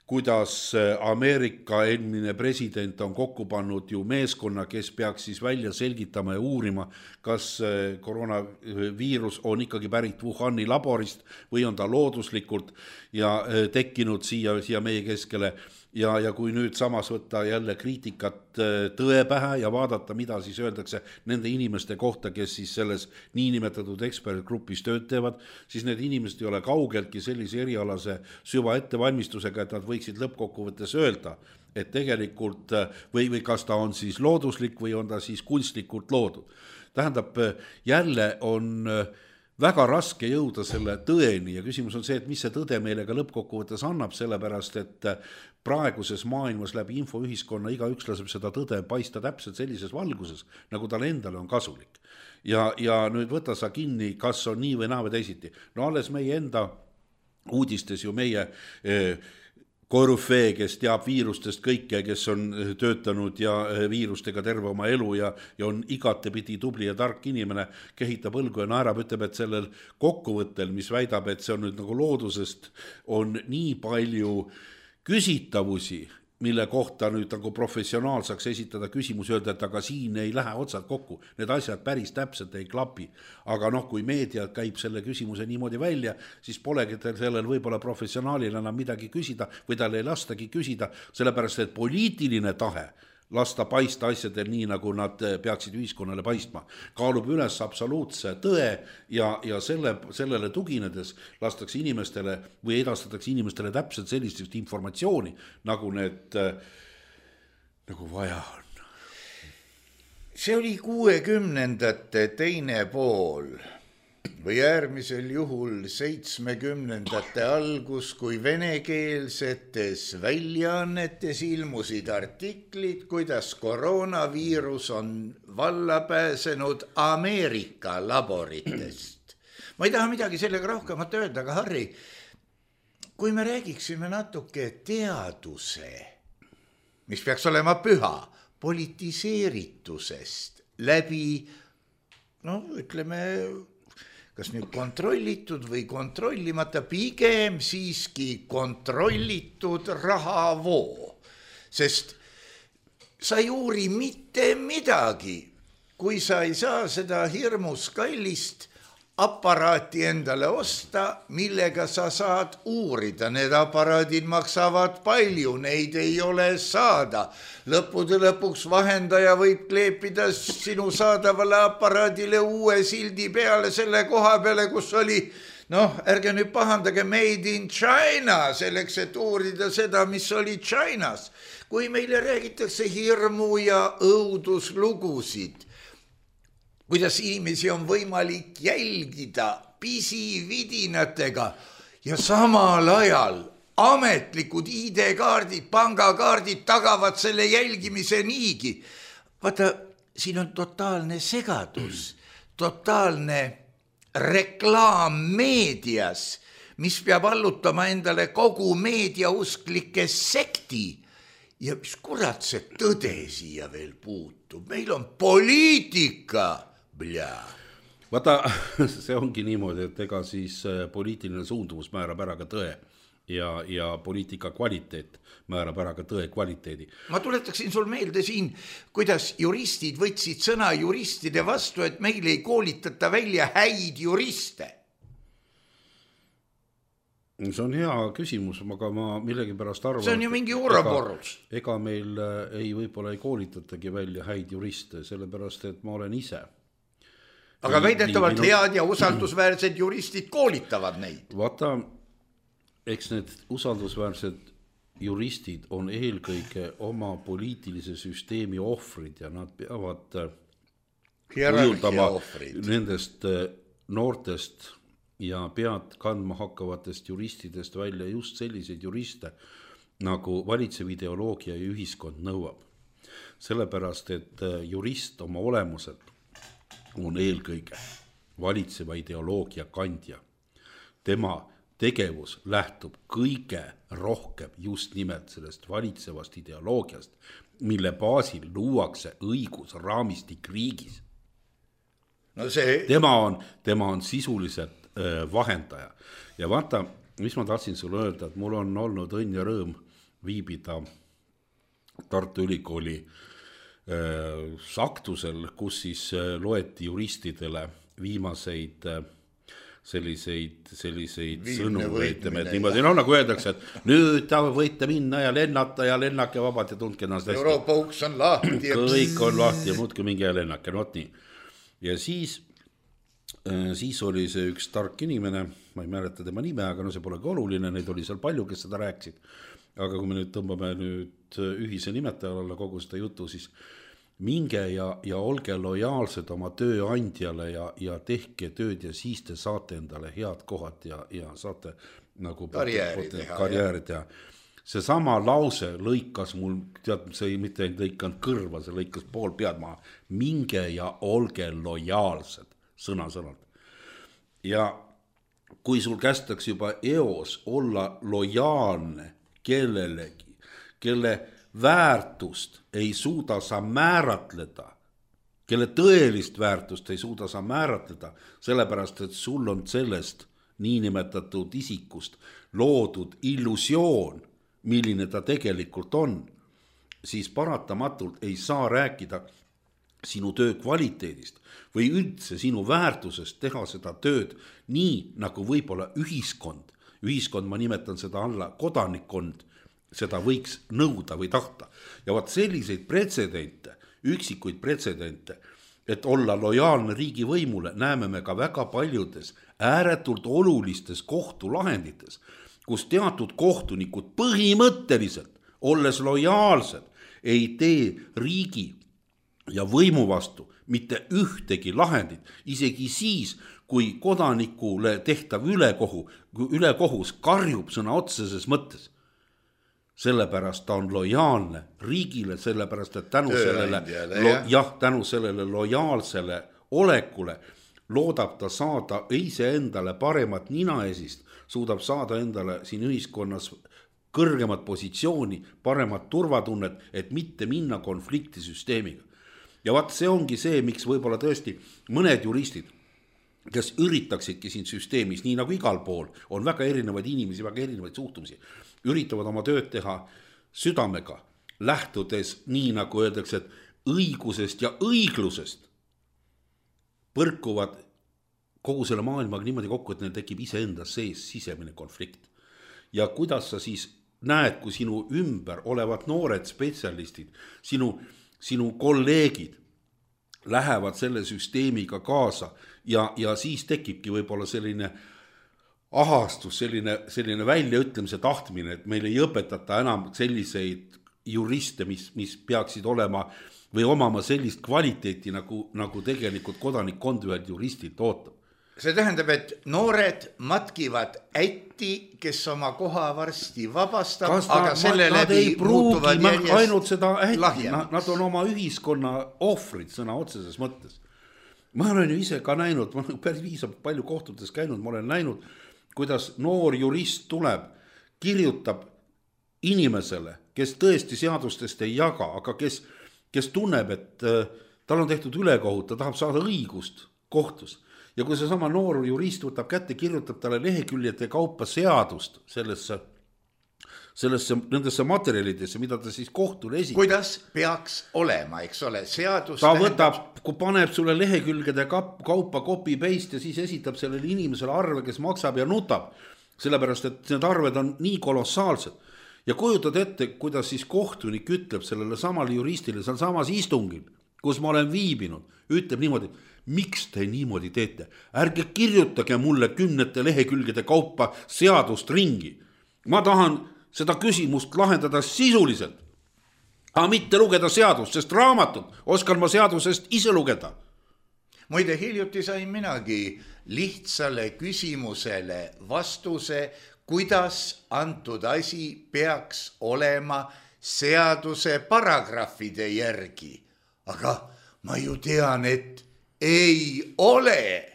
kuidas Ameerika eelmine president on kokku pannud ju meeskonna, kes peaks siis välja selgitama ja uurima, kas koroonaviirus on ikkagi pärit Wuhani laborist või on ta looduslikult ja tekkinud siia meie keskele. Ja kui nüüd samas võtta jälle kriitikat tõe pähe ja vaadata, mida siis öeldakse nende inimeste kohta, kes siis selles niinimetatud ekspertgrupis tööd teevad, siis need inimesed ei ole kaugeltki sellise erialase süva ettevalmistusega, et nad võiksid lõppkokkuvõttes öelda, et tegelikult või kas ta on siis looduslik või on ta siis kunstlikult loodud. Tähendab, jälle on väga raske jõuda selle tõeni ja küsimus on see, et mis see tõde meile ka lõppkokkuvõttes annab, sellepärast, et praeguses maailmas läbi infoühiskonna igaüks laseb seda tõde paista täpselt sellises valguses, nagu tal endale on kasulik. Ja nüüd võta sa kinni, kas on nii või naa või teisiti. No alles meie enda uudistes ju meie korüfee, kes teab viirustest kõike, kes on töötanud ja viirustega terve oma elu ja on igatepidi tubli ja tark inimene, kehitab õlgu ja naerab, ütleb, et sellel kokkuvõttel, mis väidab, et see on nüüd nagu loodusest, on nii palju küsitavusi, mille kohta nüüd nagu professionaal saaks esitada küsimus, öelda, et aga siin ei lähe otsad kokku, need asjad päris täpselt ei klapi. Aga kui meedia käib selle küsimuse niimoodi välja, siis polegi sellel võib-olla professionaalil enam midagi küsida või tal ei lastagi küsida, sellepärast et poliitiline tahe lasta paista asjadel nii, nagu nad peaksid ühiskonnale paistma. Kaalub üles absoluutse tõe ja sellele tuginedes lastakse inimestele või edastatakse inimestele täpselt sellist informatsiooni, nagu need nagu vaja on. See oli 60ndate teine pool või äärmisel juhul 70ndate algus, kui venekeelsetes väljaannetes ilmusid artiklid, kuidas koroonaviirus on valla pääsenud Ameerika laboritest. Ma ei taha midagi sellega rohkemat öelda, aga Harri, kui me räägiksime natuke teaduse, mis peaks olema püha, politiseeritusest läbi, ütleme, kas nüüd kontrollitud või kontrollimata, pigem siiski kontrollitud rahavoo. Sest sa ei uuri mitte midagi, kui sa ei saa seda hirmus kallist aparaati endale osta, millega sa saad uurida. Need aparaadid maksavad palju, neid ei ole saada. Lõppude lõpuks vahendaja võib kleepida sinu saadavale aparaadile uue sildi peale selle koha peale, kus oli, ärge nüüd pahandage, made in China, selleks, et uurida seda, mis oli Chinas. Kui meile räägitakse hirmu ja õuduslugusid, kuidas inimesi on võimalik jälgida pisividinatega ja samal ajal ametlikud ID-kaardid, pangakaardid tagavad selle jälgimise niigi. Vaata, siin on totaalne segadus, totaalne reklaam meedias, mis peab allutama endale kogu meediausklike sekti. Ja mis kurat see tõde siia veel puutub? Meil on poliitika. Vaata, see ongi niimoodi, et ega siis poliitiline suundumus määrab ära ka tõe ja poliitika kvaliteet määrab ära ka tõe kvaliteedi. Ma tuletaksin sul meelde siin, kuidas juristid võtsid sõna juristide vastu, et meil ei koolitata välja häid juriste. See on hea küsimus, aga ma millegipärast arvan, see on ju mingi uuraporus. Ega meil võib-olla ei koolitatagi välja häid juriste, sellepärast, et ma olen ise. Aga väidetavalt head ja usaldusväärsed juristid koolitavad neid. Vaata, eks need usaldusväärsed juristid on eelkõige oma poliitilise süsteemi ohvrid ja nad peavad kujutama nendest noortest ja pead kandma hakkavatest juristidest välja just selliseid juriste, nagu valitsev ideoloogia ja ühiskond nõuab. Sellepärast, et jurist oma olemuselt on eelkõige valitseva ideoloogia kandja. Tema tegevus lähtub kõige rohkem just nimelt sellest valitsevast ideoloogiast, mille baasil luuakse õigusraamistik riigis. Tema on sisuliselt vahendaja. Ja vaata, mis ma tahtsin sulle öelda, et mul on olnud õnn ja rõõm viibida Tartu Ülikooli saktusel, kus siis loeti juristidele viimaseid selliseid sõnu, niimoodi, nagu öeldakse, et nüüd ta võite minna ja lennata ja lennake vabalt ja tundke ennast hästi. Euroopa uks on lahti. Kõik on lahti ja muudki mingi ja lennake, nii. Ja siis oli see üks tark inimene, ma ei mäleta tema nime, aga see polegi oluline, neid oli seal palju, kes seda rääkisid. Aga kui me nüüd tõmbame ühise nimetaja alla kogu seda jutu, siis minge ja olge lojaalsed oma tööandjale ja tehke tööd ja siis te saate endale head kohad ja saate nagu karjääri teha. See sama lause lõikas mul, see ei mitte lõikanud kõrva, see lõikas pool pead maha. Minge ja olge lojaalsed, sõna-sõnalt. Ja kui sul kästaks juba eos olla lojaalne kellelegi, kelle väärtust ei suuda sa määratleda, kelle tõelist väärtust ei suuda sa määratleda, sellepärast, et sul on sellest niinimetatud isikust loodud illusioon, milline ta tegelikult on, siis paratamatult ei saa rääkida sinu töö kvaliteedist või üldse sinu väärtusest teha seda tööd nii, nagu võib-olla ühiskond, ma nimetan seda alla kodanikkond, seda võiks nõuda või tahta. Ja vaat selliseid pretsedente, üksikuid pretsedente, et olla lojaalne riigivõimule, näeme me ka väga paljudes ääretult olulistes kohtulahendites, kus teatud kohtunikud põhimõtteliselt, olles lojaalsed, ei tee riigi ja võimu vastu mitte ühtegi lahendit, isegi siis, kui kodanikule tehtav ülekohus karjub sõna otseses mõttes. Sellepärast ta on lojaalne riigile, sellepärast, et tänu sellele lojaalsele olekule loodab ta saada iseendale paremat ninaesist, suudab saada endale siin ühiskonnas kõrgemat positsiooni, paremat turvatunnet, et mitte minna konflikti süsteemiga. Ja vaat see ongi see, miks võib-olla tõesti mõned juristid, kes üritaksidki siin süsteemis, nii nagu igal pool, on väga erinevaid inimesi, väga erinevaid suhtumisi, üritavad oma tööd teha südamega, lähtudes nii nagu öeldakse, et õigusest ja õiglusest põrkuvad kogu selle maailmaga niimoodi kokku, et neil tekib iseenda sees sisemine konflikt. Ja kuidas sa siis näed, kui sinu ümber olevad noored spetsialistid, sinu kolleegid lähevad selle süsteemiga kaasa ja siis tekibki võib-olla selline ahastus, selline väljaütlemise tahtmine, et meil ei õpetata enam selliseid juriste, mis peaksid olema või omama sellist kvaliteeti, nagu tegelikult kodanikkond ühelt juristilt ootab. See tähendab, et noored matkivad ätti, kes oma koha varsti vabastab, aga selle läbi muutuvad järjest ainult seda ätti, nad on oma ühiskonna ohvrid sõna otseses mõttes. Ma olen ju ise ka näinud, ma olen päris viisab palju kohtutes käinud, ma olen näinud, kuidas noor jurist tuleb, kirjutab inimesele, kes tõesti seadustest ei jaga, aga kes tunneb, et tal on tehtud ülekohut, ta tahab saada õigust kohtus. Ja kui see sama noor jurist võtab kätte, kirjutab talle leheküljete kaupa seadust nendesse materjalidesse, mida ta siis kohtule esitab. Kuidas peaks olema, eks ole, seadus ta võtab, kui paneb sulle lehekülgede kaupa copy-paste ja siis esitab sellele inimesele arve, kes maksab ja nutab, sellepärast, et need arved on nii kolossaalsed. Ja kujutad ette, kuidas siis kohtunik ütleb sellele samale juristile seal samas istungil, kus ma olen viibinud, ütleb niimoodi, miks te niimoodi teete? Ärge kirjutage mulle 10 lehekülgede kaupa seadust ringi. Ma tahan seda küsimust lahendada sisuliselt, aga mitte lugeda seadust, sest raamatut oskan ma seadusest ise lugeda. Muide, hiljuti sain minagi lihtsale küsimusele vastuse, kuidas antud asi peaks olema seaduse paragrahvide järgi. Aga ma ju tean, et ei ole.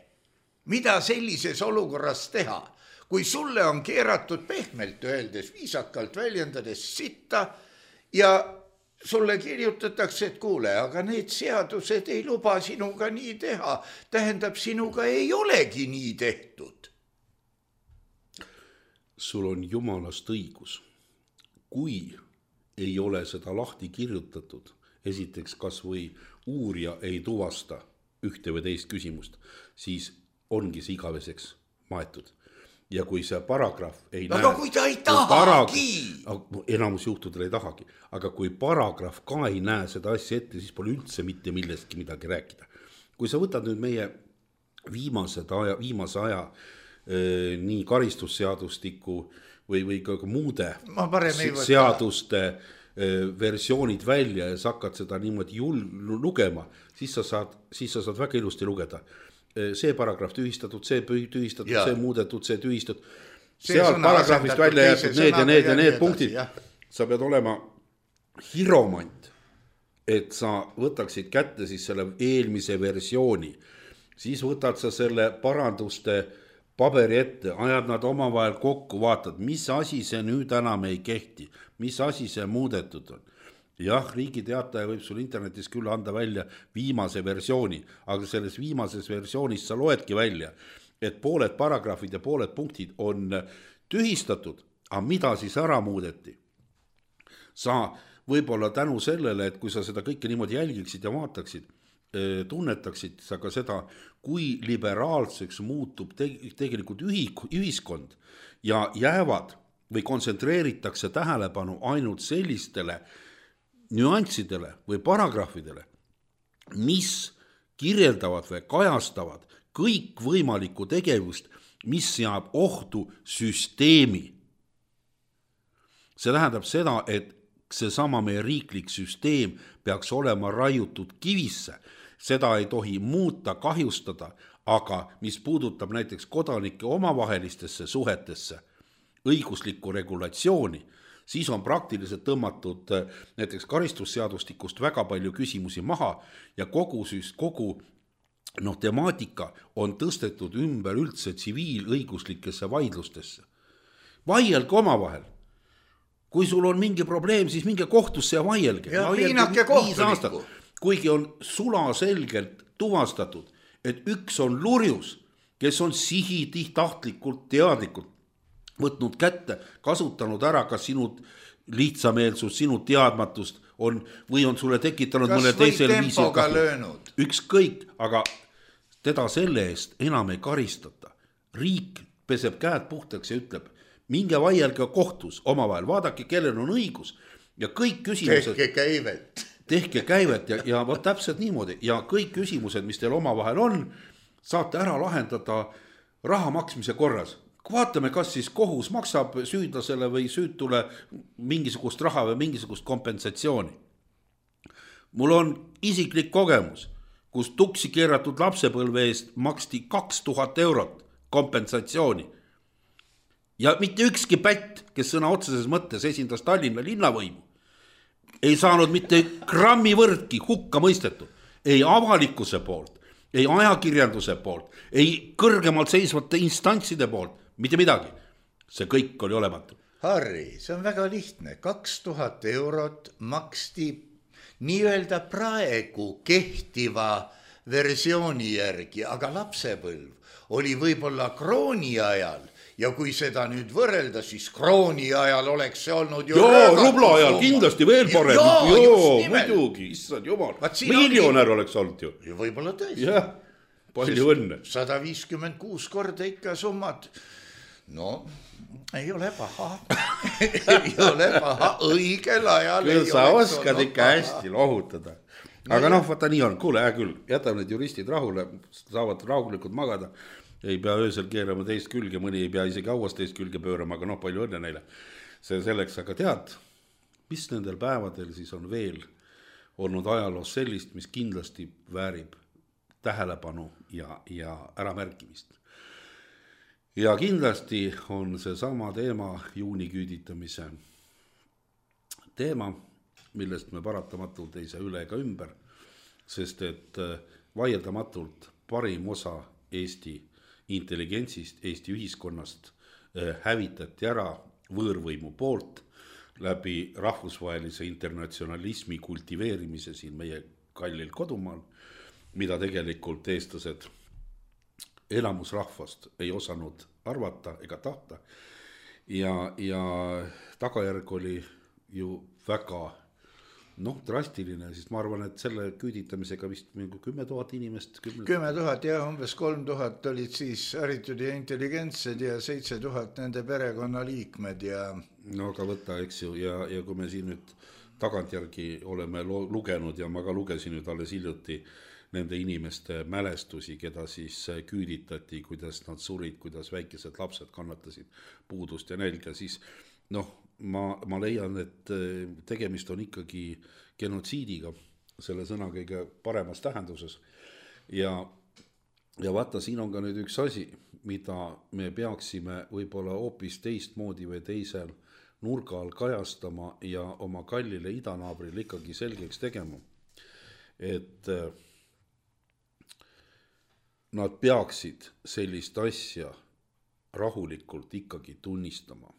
Mida sellises olukorras teha? Kui sulle on keeratud pehmelt öeldes, viisakalt väljendades sitta ja sulle kirjutatakse, et kuule, aga need seadused ei luba sinuga nii teha. Tähendab, sinuga ei olegi nii tehtud. Sul on jumalast õigus. Kui ei ole seda lahti kirjutatud, esiteks kas või uurija ei tuvasta ühte või teist küsimust, siis ongi see igaveseks maetud. Ja kui see paragrahv ei aga kui ta ei tahagi. Enamus juhtudel ei tahagi. Aga kui paragrahv ka ei näe seda asja ette, siis pole üldse mitte millestki midagi rääkida. Kui sa võtad nüüd meie viimase aja nii karistusseadustiku või ka muude seaduste versioonid välja ja sa hakkad seda niimoodi lugema, siis sa saad väga ilusti lugeda. See paragrahv tühistatud, see tühistatud, see muudetud, see tühistatud. Seal paragrahvist välja jäetud need ja need punktid. Sa pead olema hiromant, et sa võtaksid kätte siis selle eelmise versiooni. Siis võtad sa selle paranduste paberi ette, ajad nad omavahel kokku, vaatad, mis asi see nüüd enam ei kehti, mis asi see muudetud on. Jah, Riigi Teataja võib sul internetis küll anda välja viimase versiooni, aga selles viimases versioonis sa loedki välja, et pooled paragrahvid ja pooled punktid on tühistatud, aga mida siis ära muudeti? Sa võib-olla tänu sellele, et kui sa seda kõike niimoodi jälgiksid ja vaataksid, tunnetaksid sa ka seda, kui liberaalseks muutub tegelikult ühiskond ja jäävad või kontsentreeritakse tähelepanu ainult sellistele nüanssidele või paragrahvidele, mis kirjeldavad või kajastavad kõikvõimalikku tegevust, mis seab ohtu süsteemi. See tähendab seda, et seesama meie riiklik süsteem peaks olema raiutud kivisse, seda ei tohi muuta, kahjustada, aga mis puudutab näiteks kodanike omavahelistesse suhetesse, õiguslikku regulatsiooni, siis on praktiliselt tõmmatud näiteks karistusseadustikust väga palju küsimusi maha ja kogu temaatika on tõstetud ümber üldse tsiviilõiguslikesse vaidlustesse. Vaielge omavahel. Kui sul on mingi probleem, siis minge kohtusse ja vaielge. Ja piinake kohtunikku. Kuigi on sulaselgelt tuvastatud, et üks on lurjus, kes on sihitahtlikult teadlikult võtnud kätte, kasutanud ära kas sinu lihtsameelsust, sinu teadmatust on, või on sulle tekitanud mõne teisel viisil. Ükskõik, aga teda selle eest enam ei karistata. Riik peseb käed puhtaks ja ütleb, minge vaielge kohtus omavahel, vaadake, kellel on õigus ja kõik küsimused. Tehke käivet ja võt täpselt niimoodi ja kõik küsimused, mis teil omavahel on, saate ära lahendada raha maksmise korras. Vaatame, kas siis kohus maksab süüdlasele või süütule mingisugust raha või mingisugust kompensatsiooni. Mul on isiklik kogemus, kus tuksi keeratud lapsepõlve eest maksti 2000 eurot kompensatsiooni. Ja mitte ükski pätt, kes sõna otseses mõttes esindas Tallinna linnavõimu, ei saanud mitte grammi võrdki hukka mõistetud. Ei avalikkuse poolt, ei ajakirjanduse poolt, ei kõrgemalt seisvate instantside poolt. Mitte midagi. See kõik oli olematu. Harri, see on väga lihtne. 2000 eurot maksti nii-öelda praegu kehtiva versiooni järgi, aga lapsepõlv oli võib-olla krooni ajal ja kui seda nüüd võrrelda, siis krooni ajal oleks see olnud ju rubla ajal kindlasti veel parem. Muidugi, issand jumal. Miljonär oleks olnud ju. Ja võib-olla tõesti. Jah, palju õnne. 156 korda ikka summad. No, ei ole paha. Ei ole paha, õigel ajal. Küll sa oskad ikka hästi lohutada. Aga vaata nii on, kuule, küll, jätame need juristid rahule, saavad rahulikult magada, ei pea öösel keerama teist külge, mõni ei pea isegi hauas teist külge pöörama, aga palju õnne neile. See selleks, aga tead, mis nendel päevadel siis on veel olnud ajaloos sellist, mis kindlasti väärib tähelepanu ja äramärkimist. Ja kindlasti on see sama teema juuniküüditamise teema, millest me paratamatult ei saa üle ega ümber, sest et vaieldamatult parim osa Eesti intelligentsist, Eesti ühiskonnast hävitati ära võõrvõimu poolt läbi rahvusvahelise internatsionalismi kultiveerimise siin meie kallil kodumaal, mida tegelikult eestlased elamusrahvast ei osanud arvata ega tahta ja tagajärg oli ju väga drastiline, siis ma arvan, et selle küüditamisega vist 10 000 inimest 10 000 ja umbes 3000 olid siis haritud ja intelligentsed ja 7000 nende perekonnaliikmed ja aga võta, eks ju, ja kui me siin nüüd tagantjärgi oleme lugenud ja ma ka lugesin nüüd alles hiljuti nende inimeste mälestusi, keda siis küüditati, kuidas nad surid, kuidas väikesed lapsed kannatasid puudust ja nälga, siis ma leian, et tegemist on ikkagi genotsiidiga selle sõna kõige paremas tähenduses ja vaata, siin on ka nüüd üks asi, mida me peaksime võib-olla hoopis teistmoodi või teisel nurga all kajastama ja oma kallile idanaabril ikkagi selgeks tegema, et nad peaksid sellist asja rahulikult ikkagi tunnistama,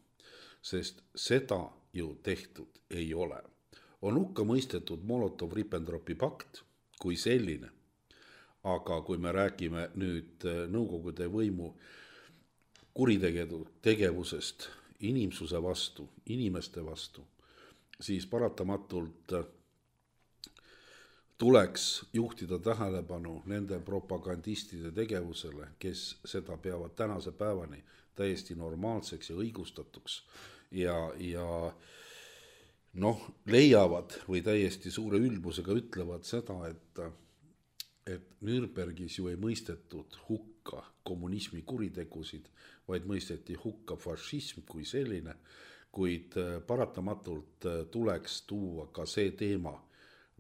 sest seda ju tehtud ei ole. On hukka mõistetud Molotov-Ribbentropi pakt kui selline, aga kui me räägime nüüd Nõukogude võimu kuritegevusest inimsuse vastu, inimeste vastu, siis paratamatult tuleks juhtida tähelepanu nende propagandistide tegevusele, kes seda peavad tänase päevani täiesti normaalseks ja õigustatuks ja noh, leiavad või täiesti suure ülbusega ütlevad seda, et Nürnbergis ju ei mõistetud hukka kommunismi kuritegusid, vaid mõisteti hukka fašism kui selline, kuid paratamatult tuleks tuua ka see teema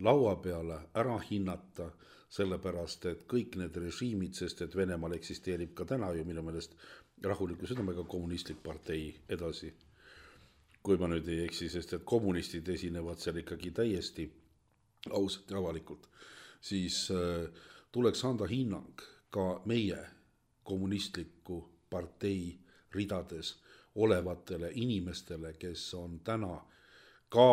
laua peale, ära hinnata, sellepärast, et kõik need režiimid, sest et Venemaal eksisteerib ka täna ju minu meelest rahuliku südamega kommunistlik partei edasi, kui ma nüüd ei eksi, sest et kommunistid esinevad seal ikkagi täiesti ausalt ja avalikult, siis tuleks anda hinnang ka meie kommunistliku partei ridades olevatele inimestele, kes on täna ka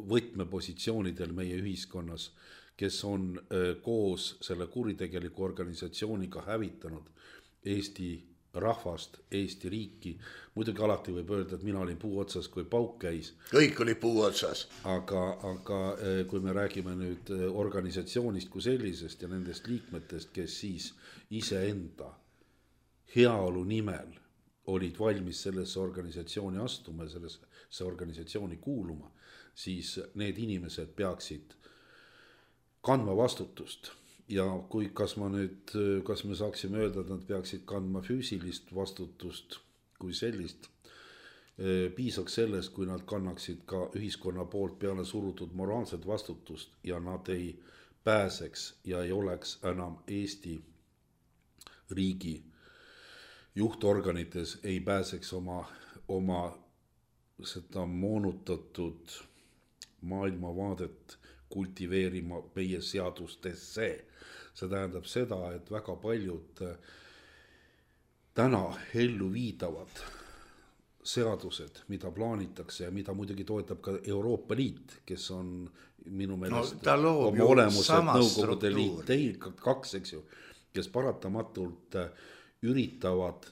võtmepositsioonidel meie ühiskonnas, kes on koos selle kuritegeliku organisatsiooniga hävitanud Eesti rahvast, Eesti riiki. Muidugi alati võib öelda, et mina olin puu otsas, kui pauk käis. Kõik oli puu otsas. Aga kui me räägime nüüd organisatsioonist kui sellisest ja nendest liikmetest, kes siis iseenda heaolu nimel olid valmis sellesse organisatsiooni astuma, sellesse organisatsiooni kuuluma, siis need inimesed peaksid kandma vastutust ja kas me saaksime öelda, et nad peaksid kandma füüsilist vastutust kui sellist, piisaks sellest, kui nad kannaksid ka ühiskonna poolt peale surutud moraalset vastutust ja nad ei pääseks ja ei oleks enam Eesti riigi juhtorganites, ei pääseks oma seda moonutatud maailmavaadet kultiveerima meie seadustesse. See tähendab seda, et väga paljud täna ellu viidavad seadused, mida plaanitakse ja mida muidugi toetab ka Euroopa Liit, kes on minu meelest oma olemuselt Nõukogude Liit, kaks, eks ju, kes paratamatult üritavad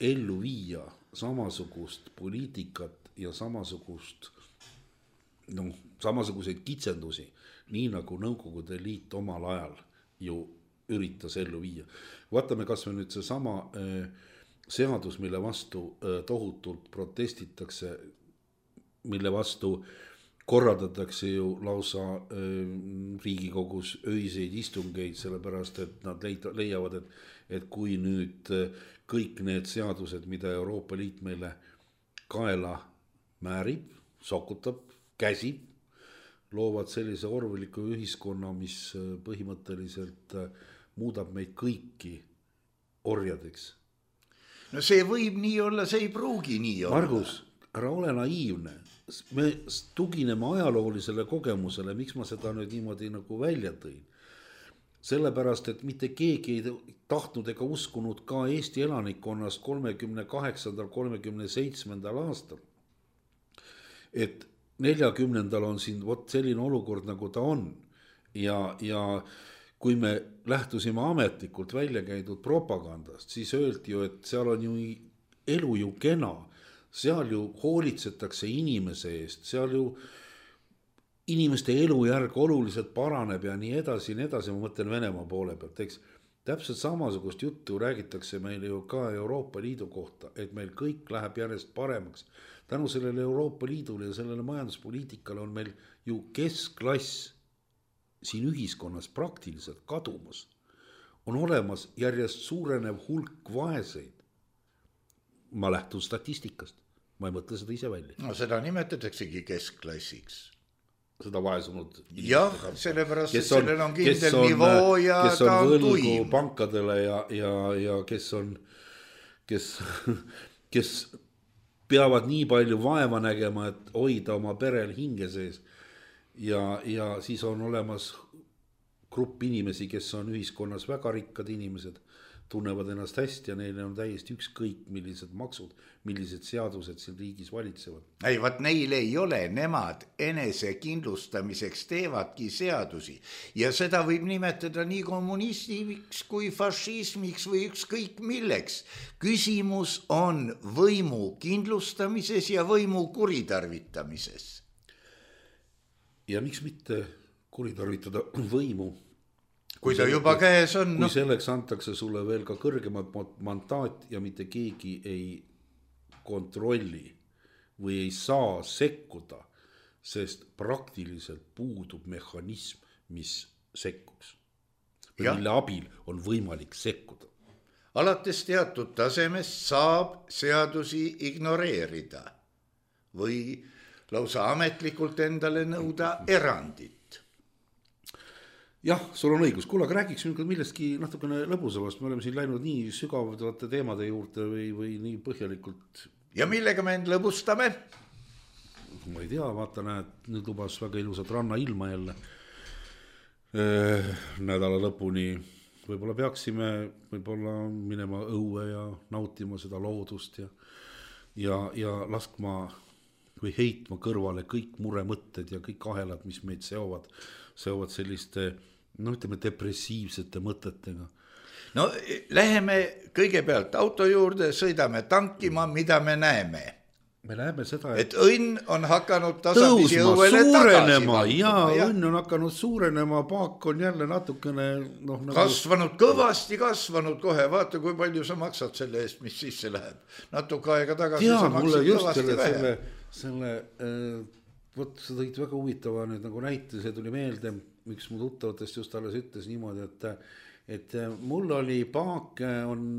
ellu viia samasugust poliitikat ja samasuguseid kitsendusi, nii nagu Nõukogude Liit omal ajal ju üritas ellu viia. Vaatame kas või nüüd see sama seadus, mille vastu tohutult protestitakse, mille vastu korraldatakse ju lausa Riigikogus öiseid istungeid, sellepärast et nad leiavad, et kui nüüd kõik need seadused, mida Euroopa Liit meile kaela määrib, sokutab, käsib, loovad sellise orwelliku ühiskonna, mis põhimõtteliselt muudab meid kõiki orjadeks. No see võib nii olla, see ei pruugi nii olla. Margus, ära ole naiivne. Me tugineme ajaloolisele kogemusele, miks ma seda nüüd niimoodi nagu välja tõin. Sellepärast, et mitte keegi ei tahtnud ega uskunud ka Eesti elanikkonnast 38-37 aastal, et 40. on siin selline olukord, nagu ta on. Ja kui me lähtusime ametlikult välja käidud propagandast, siis öeldi ju, et seal on ju elu ju kena, seal ju hoolitsetakse inimese eest, seal ju inimeste elujärg oluliselt paraneb ja nii edasi, ma mõtlen Venemaa poole pealt, eks. Täpselt samasugust juttu räägitakse meil ju ka Euroopa Liidu kohta, et meil kõik läheb järjest paremaks. Tänu sellele Euroopa Liidule ja sellele majanduspoliitikale on meil ju keskklass siin ühiskonnas praktiliselt kadumas. On olemas järjest suurenev hulk vaeseid. Ma lähtun statistikast, ma ei mõtle seda ise välja. No seda nimetataksegi keskklassiks. Seda vaesunud. Jah, sellepärast, et sellel on kindel nivoo ja ta on tuim. Pankadele ja kes peavad nii palju vaeva nägema, et hoida oma perel hinge sees. Ja siis on olemas grupp inimesi, kes on ühiskonnas väga rikkad inimesed, tunnevad ennast hästi ja neile on täiesti ükskõik, millised maksud, millised seadused siin riigis valitsevad. Ei, vaat neil ei ole, nemad enese kindlustamiseks teevadki seadusi ja seda võib nimetada nii kommunistiks kui fašismiks või ükskõik milleks. Küsimus on võimu kindlustamises ja võimu kuritarvitamises. Ja miks mitte kuritarvitada võimu? Kui ta juba käes on. Kui selleks antakse sulle veel ka kõrgemad mandaat ja mitte keegi ei kontrolli või ei saa sekkuda, sest praktiliselt puudub mehhanism, mis sekkuks. Mille abil on võimalik sekkuda. Alates teatud tasemest saab seadusi ignoreerida või lausa ametlikult endale nõuda erandit. Jah, sul on õigus. Kuule, aga räägiks millestki natukene lõbusamast. Me oleme siin läinud nii sügavate teemade juurde või nii põhjalikult. Ja millega me end lõbustame? Ma ei tea, vaata näed, nüüd lubas väga ilusat ranna ilma jälle nädala lõpuni. Võib-olla peaksime minema õue ja nautima seda loodust ja laskma või heitma kõrvale kõik muremõtted ja kõik ahelad, mis meid seovad selliste, ütleme, depressiivsete mõtetega. No läheme kõigepealt auto juurde, sõidame tankima, mida me näeme. Me näeme seda, et õnn on hakanud tasapisi õuele suurenema, tagasi. Õnn on hakanud suurenema, paak on jälle natukene kasvanud, kõvasti kasvanud kohe. Vaata, kui palju sa maksad selle eest, mis sisse läheb. Natuke aega tagasi sa maksid kõvasti vähe. Vot sa tõid väga huvitava nüüd nagu näite, see tuli meelde, üks mu tuttavatest just alles ütles niimoodi, et mul oli paak,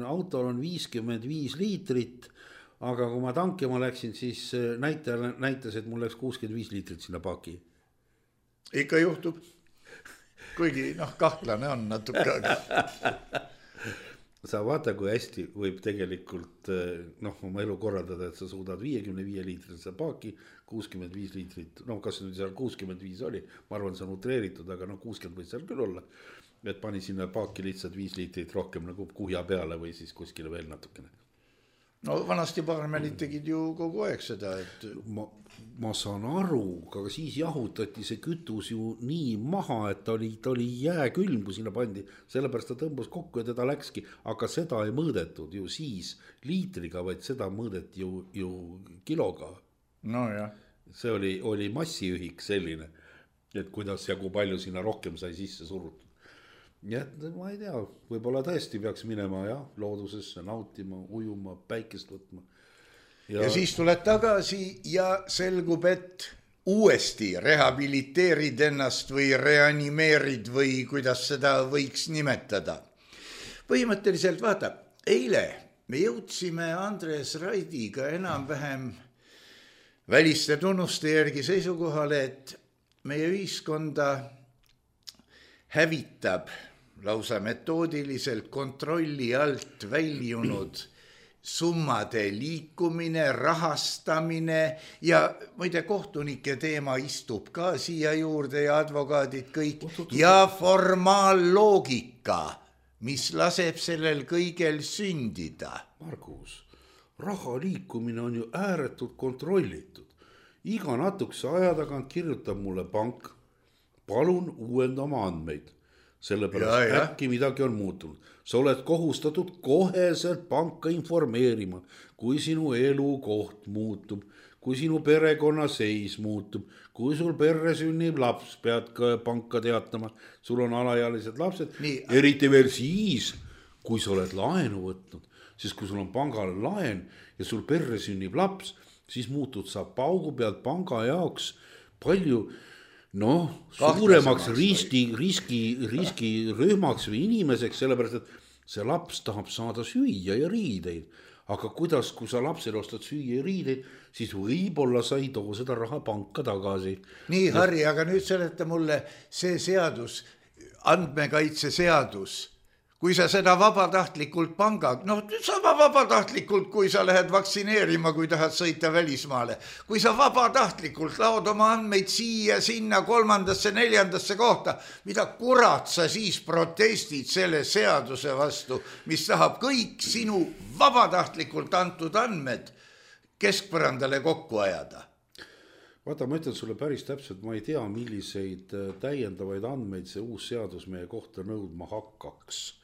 autol on 55 liitrit, aga kui ma tankima läksin, siis näitas, et mul läks 65 liitrit sinna paaki. Ikka juhtub. Kuigi kahtlane on natuke. Sa vaata, kui hästi võib tegelikult oma elu korraldada, et sa suudad 55 liitrit seda paaki, 65 liitrit, kas nüüd seal 65 oli, ma arvan, see on utreeritud, aga 60 võis seal küll olla, et pani sinna paaki lihtsalt 5 liitrit rohkem nagu kuhja peale või siis kuskile veel natukene. No vanasti parmelid tegid ju kogu aeg seda, et ma saan aru, aga siis jahutati see kütus ju nii maha, et ta oli jääkülm, kui sinna pandi, sellepärast ta tõmbus kokku ja teda läkski, aga seda ei mõõdetud ju siis liitriga, vaid seda mõõdeti ju kiloga. No jah. See oli massiühik selline, et kuidas ja kui palju sinna rohkem sai sisse surutud. Ja ma ei tea, võib-olla tõesti peaks minema loodusesse, nautima, ujuma, päikest võtma. Ja siis tuled tagasi ja selgub, et uuesti rehabiliteerid ennast või reanimeerid või kuidas seda võiks nimetada. Põhimõtteliselt vaata, eile me jõudsime Andres Raidiga enam-vähem väliste tunnuste järgi seisukohale, et meie ühiskonda hävitab lausa metoodiliselt kontrolli alt väljunud summade liikumine, rahastamine ja muide kohtunike teema istub ka siia juurde ja advokaadid kõik ja formaalloogika, mis laseb sellel kõigel sündida. Margus, raha liikumine on ju ääretult kontrollitud. Iga natukese aja tagant kirjutab mulle pank, palun uuenda oma andmeid. Sellepärast äkki midagi on muutunud. Sa oled kohustatud koheselt panka informeerima, kui sinu elukoht muutub, kui sinu perekonna seis muutub, kui sul perre sünnib laps, pead ka panka teatama, sul on alaealised lapsed, eriti veel siis, kui sa oled laenu võtnud, sest kui sul on pangal laen ja sul perre sünnib laps, siis muutud sa paugu pealt panga jaoks palju suuremaks riskirühmaks või inimeseks, sellepärast, et see laps tahab saada süüa ja riideid. Aga kuidas, kui sa lapsele ostad süüa ja riideid, siis võib-olla sa ei too seda raha panka tagasi. Nii, Harri, aga nüüd seleta mulle see seadus, andmekaitse seadus. Kui sa seda vabatahtlikult panga, sama vabatahtlikult, kui sa lähed vaktsineerima, kui tahad sõita välismaale. Kui sa vabatahtlikult laod oma andmeid siia, sinna, 3., 4. kohta, mida kurat sa siis protestid selle seaduse vastu, mis tahab kõik sinu vabatahtlikult antud andmed keskpõrandale kokku ajada. Vaata, ma ütlen sulle päris täpselt, ma ei tea, milliseid täiendavaid andmeid see uus seadus meie kohta nõudma hakkaks.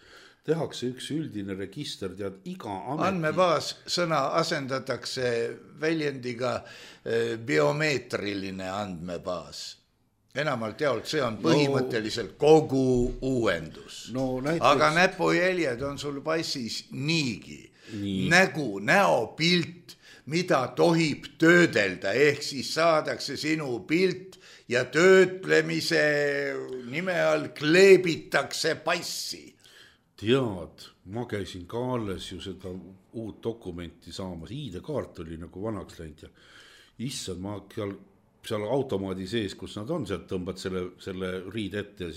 Tehakse üks üldine register, tead iga andmebaas sõna asendatakse väljendiga biomeetriline andmebaas. Enamalt jaolt see on põhimõtteliselt kogu uuendus. Aga näpujäljed on sul passis niigi. Nägu, näopilt, mida tohib töödelda, ehk siis saadakse sinu pilt ja töötlemise nime all kleebitakse passi. Tead, ma käisin ka alles ju seda uut dokumenti saamas, ID-kaart oli nagu vanaks läinud ja issand, ma seal automaadi sees, kus nad on, sealt tõmbad selle riide ette ja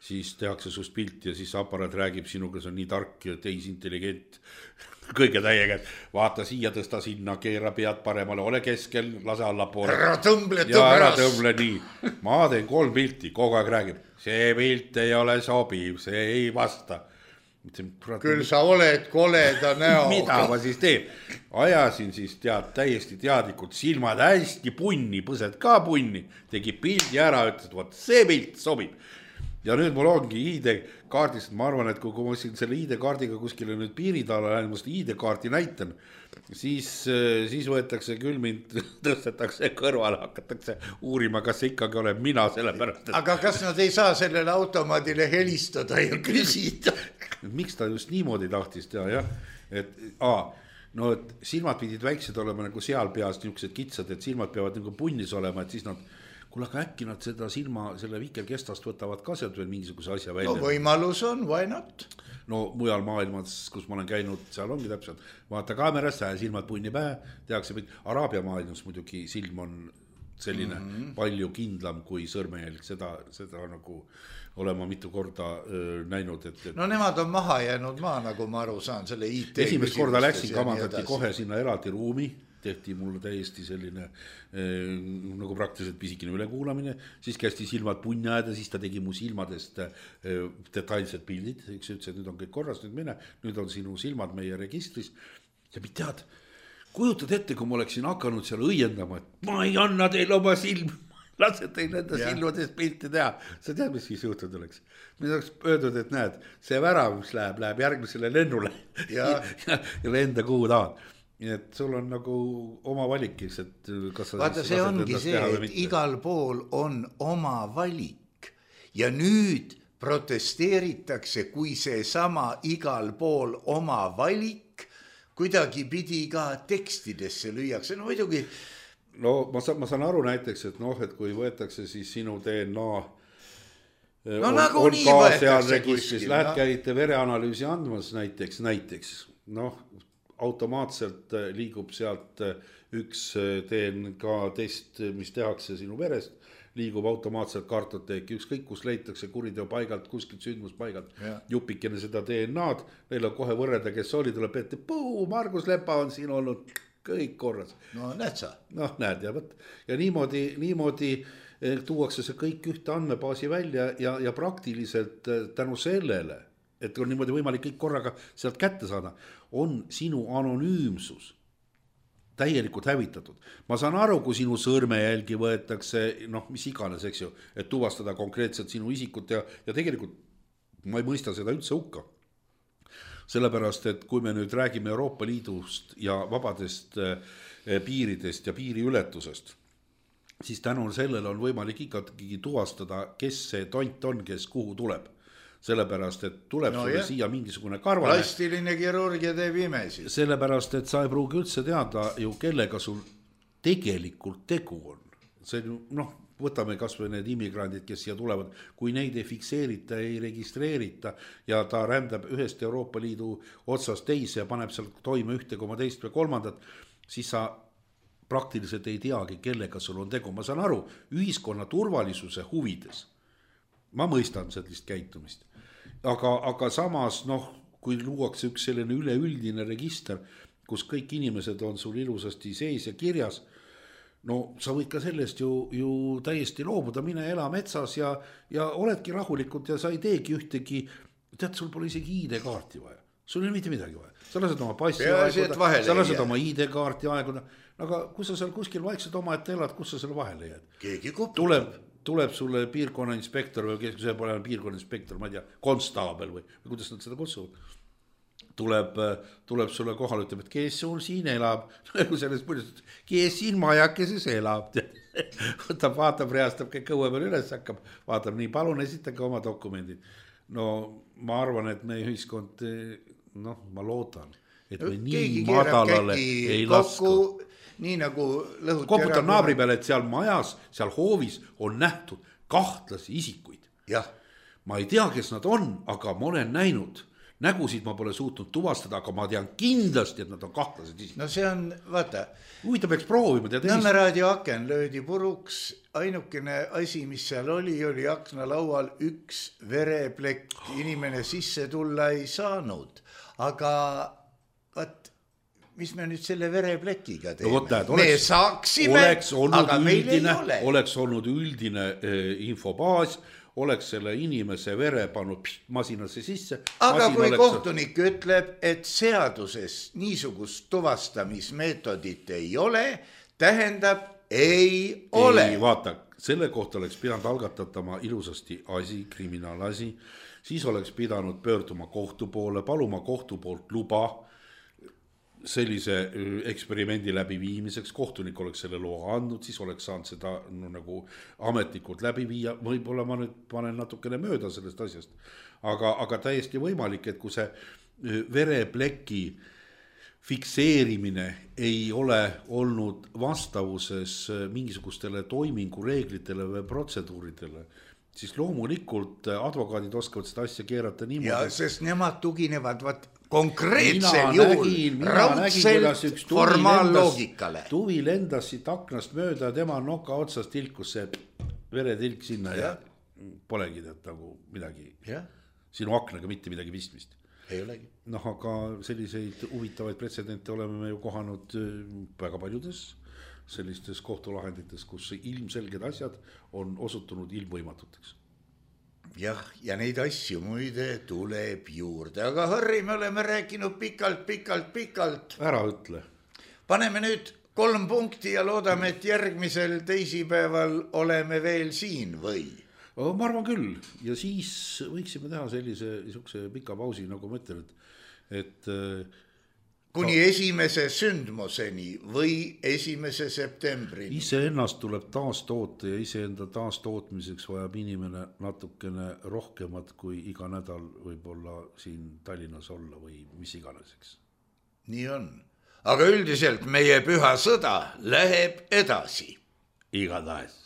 siis tehakse sust pilti ja siis aparaat räägib sinuga, see on nii tark ja tehisintelligent, kõige täiega, vaata siia, tõsta sinna, keera pead paremale, ole keskel, lase allapoole. Ära tõmble nii. Ma teen 3 pilti, kogu aeg räägib, see pilt ei ole sobiv, see ei vasta. Küll sa oled koleda näo. Mida ma siis teen? Ajasin siis täiesti teadlikult, silmad hästi punni, põsed ka punni, tegi pildi ära, ütles, et see pilt sobib. Ja nüüd mul ongi ID-kaardist, ma arvan, et kui ma selle ID-kaardiga kuskile nüüd piiritala lähen, ma seda ID-kaarti näitan, siis võetakse küll mind, tõstetakse kõrvale, hakatakse uurima, kas see ikkagi olen mina sellepärast. Aga kas nad ei saa sellele automaadile helistada ja küsida? Miks ta just niimoodi tahtis teha, jah? Et silmad pidid väiksed olema nagu seal peas niisugused kitsad, et silmad peavad nagu punnis olema, et siis nad kuule, aga äkki nad seda selle vikerkestast võtavad ka sealt veel mingisuguse asja välja. No võimalus on, why not? No mujal maailmas, kus ma olen käinud, seal ongi täpselt. Vaata kaamerasse ja silmad punni pähe, tehakse Araabia maailmas muidugi silm on selline palju kindlam kui sõrmejälg. Seda nagu olema mitu korda näinud. No nemad on maha jäänud nagu ma aru saan selle IT. Esimest korda läksin, kamandati kohe sinna eraldi ruumi. Tehti mulle täiesti selline nagu praktiliselt pisikene ülekuulamine, siis kästi silmad punni ajada, siis ta tegi mu silmadest detailsed pildid, üks ütles, et nüüd on kõik korras, nüüd on sinu silmad meie registris ja tead, kujutad ette, kui ma oleksin hakanud seal õiendama, et ma ei anna teil oma silm, lase teil enda silmadest pilti teha, sa tead, mis siis juhtud oleks? Mida oleks öeldud, et näed, see värav, mis läheb järgmisele lennule ja lenda kuhu tahad. Et sul on nagu oma valikiks, et kas sa vaata, see ongi see, et igal pool on oma valik ja nüüd protesteeritakse, kui see sama igal pool oma valik kuidagi pidi ka tekstidesse lüüakse. No muidugi. No ma saan aru näiteks, et et kui võetakse siis sinu DNA on ka seal registris, lähed käite vereanalüüsi andmas näiteks, automaatselt liigub sealt üks DNK test, mis tehakse sinu verest, liigub automaatselt kartoteeki, ükskõik kus leitakse kuriteo paigalt, kuskilt sündmuspaigalt, jupikene seda DNA-d, neil on kohe võrreda, kes oli, tuleb ette, Margus Lepa on siin olnud, kõik korras. No näed sa. Näed ja niimoodi tuuakse see kõik ühte andmebaasi välja ja praktiliselt tänu sellele, et on niimoodi võimalik kõik korraga sealt kätte saada, on sinu anonüümsus täielikult hävitatud. Ma saan aru, kui sinu sõrmejälgi võetakse, mis iganes, eks ju, et tuvastada konkreetselt sinu isikut ja tegelikult ma ei mõista seda üldse hukka. Sellepärast, et kui me nüüd räägime Euroopa Liidust ja vabadest piiridest ja piiriületusest, siis tänu sellele on võimalik ikkagi tuvastada, kes see tont on, kes kuhu tuleb. Sellepärast, et tuleb sulle siia mingisugune karvane. Plastiline kirurgia teeb imesi. Sellepärast, et sa ei pruugi üldse teada ju, kellega sul tegelikult tegu on. See, võtame kas või need immigrandid, kes siia tulevad, kui neid ei fikseerita, ei registreerita ja ta rändab ühest Euroopa Liidu otsast teise ja paneb seal toime 1,2 või 3, siis sa praktiliselt ei teagi, kellega sul on tegu. Ma saan aru, ühiskonna turvalisuse huvides. Ma mõistan sellist käitumist. Aga samas, kui luuakse üks selline üleüldine register, kus kõik inimesed on sul ilusasti sees ja kirjas, sa võid ka sellest ju täiesti loobuda, mine ela metsas ja oledki rahulikult ja sa ei teegi ühtegi, tead, sul pole isegi ID-kaarti vaja, sul ei ole mitte midagi vaja, sa lased oma passi aeguda, sa lased oma ID-kaarti aeguda, aga kui sa seal kuskil vaikselt oma ette elad, kus sa selle vahele jääd? Keegi koputab. Tuleb sulle piirkonna inspektor või kes see pole piirkonna inspektor, ma ei tea, konstaabel või kuidas nad seda kutsuvad. Tuleb sulle kohale, ütleb, et kes sul siin elab, kes siin majakeses elab, vaatab, reastab kõik õue peal üles, hakkab, vaatab nii, palun esitage oma dokumendid. No ma arvan, et meie ühiskond, ma loodan. et me nii madalale ei lasku. Nii nagu lõhuti koputan naabri peale, et seal majas, seal hoovis on nähtud kahtlasi isikuid. Jah. Ma ei tea, kes nad on, aga ma olen näinud. Nägusid ma pole suutnud tuvastada, aga ma tean kindlasti, et nad on kahtlased isikud. No see on, vaata. Huvitav peaks proovima. Nõmme raadio aken löödi puruks. Ainukene asi, mis seal oli aknalaual üks vereplekk. Inimene sisse tulla ei saanud. Aga vaat, mis me nüüd selle vereplekiga teeme? No, me saaksime, aga meil ei ole. Oleks olnud üldine infobaas, oleks selle inimese vere pannud masinasse sisse. Aga kui kohtunik ütleb, et seaduses niisugust tuvastamismeetodit ei ole, tähendab ei ole. Ei, vaata, selle kohta oleks pidanud algatatama ilusasti asi, kriminaalasi, siis oleks pidanud pöörduma kohtu poole, paluma kohtu poolt luba sellise eksperimendi läbiviimiseks, kohtunik oleks selle loa andnud, siis oleks saanud seda nagu ametlikult läbi viia, võib-olla ma nüüd panen natukene mööda sellest asjast, aga täiesti võimalik, et kui see verepleki fikseerimine ei ole olnud vastavuses mingisugustele toimingureeglitele või protseduuridele, siis loomulikult advokaadid oskavad seda asja keerata niimoodi. Ja, sest nemad tuginevad konkreetsel juhul raudselt formaalloogikale. Tuvi lendas siit aknast mööda, tema noka otsast tilkus see veretilk sinna ja polegi nagu midagi. Sinu aknaga mitte midagi pistmist. Ei olegi. Aga selliseid huvitavaid pretsedente oleme me ju kohanud väga paljudes sellistes kohtulahendites, kus ilmselged asjad on osutunud ilmvõimatuteks. Jah, ja neid asju muide tuleb juurde. Aga Harri, me oleme rääkinud pikalt. Ära ütle. Paneme nüüd 3 punkti ja loodame, et järgmisel teisipäeval oleme veel siin või? Ma arvan küll. Ja siis võiksime teha sellise pika pausi, nagu ma ütlen, et kuni esimese sündmuseni või 1. septembrini. Iseennast tuleb taastoota ja iseenda taastootmiseks vajab inimene natukene rohkemat kui iga nädal võib-olla siin Tallinnas olla või mis iganeseks. Nii on. Aga üldiselt meie püha sõda läheb edasi. Igatahes.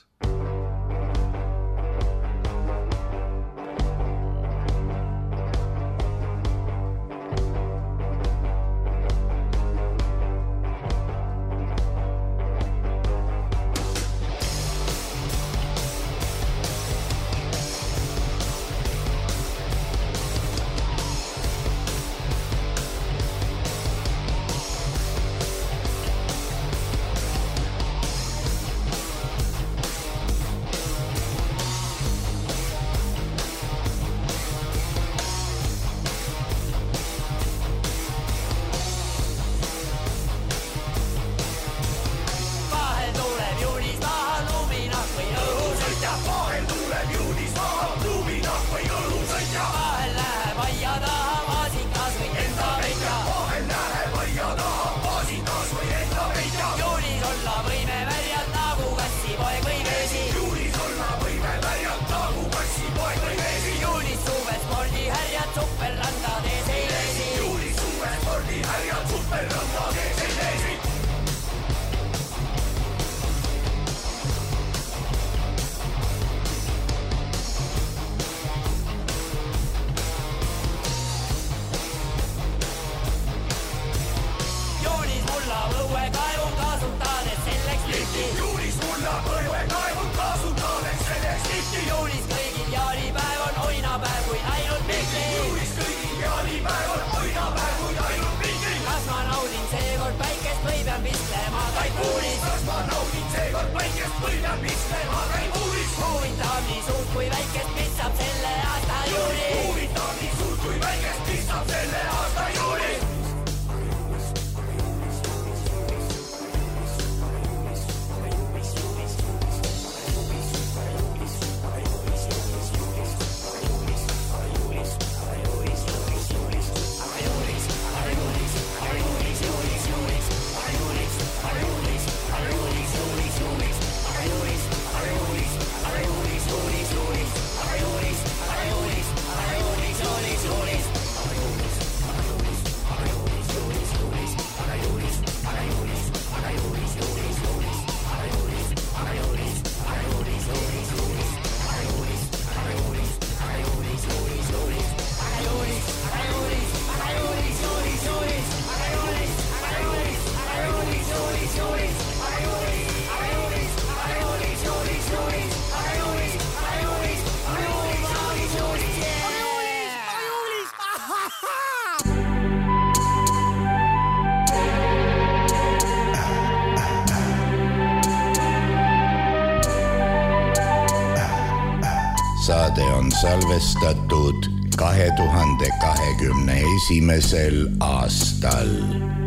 saade on salvestatud 2021. aastal.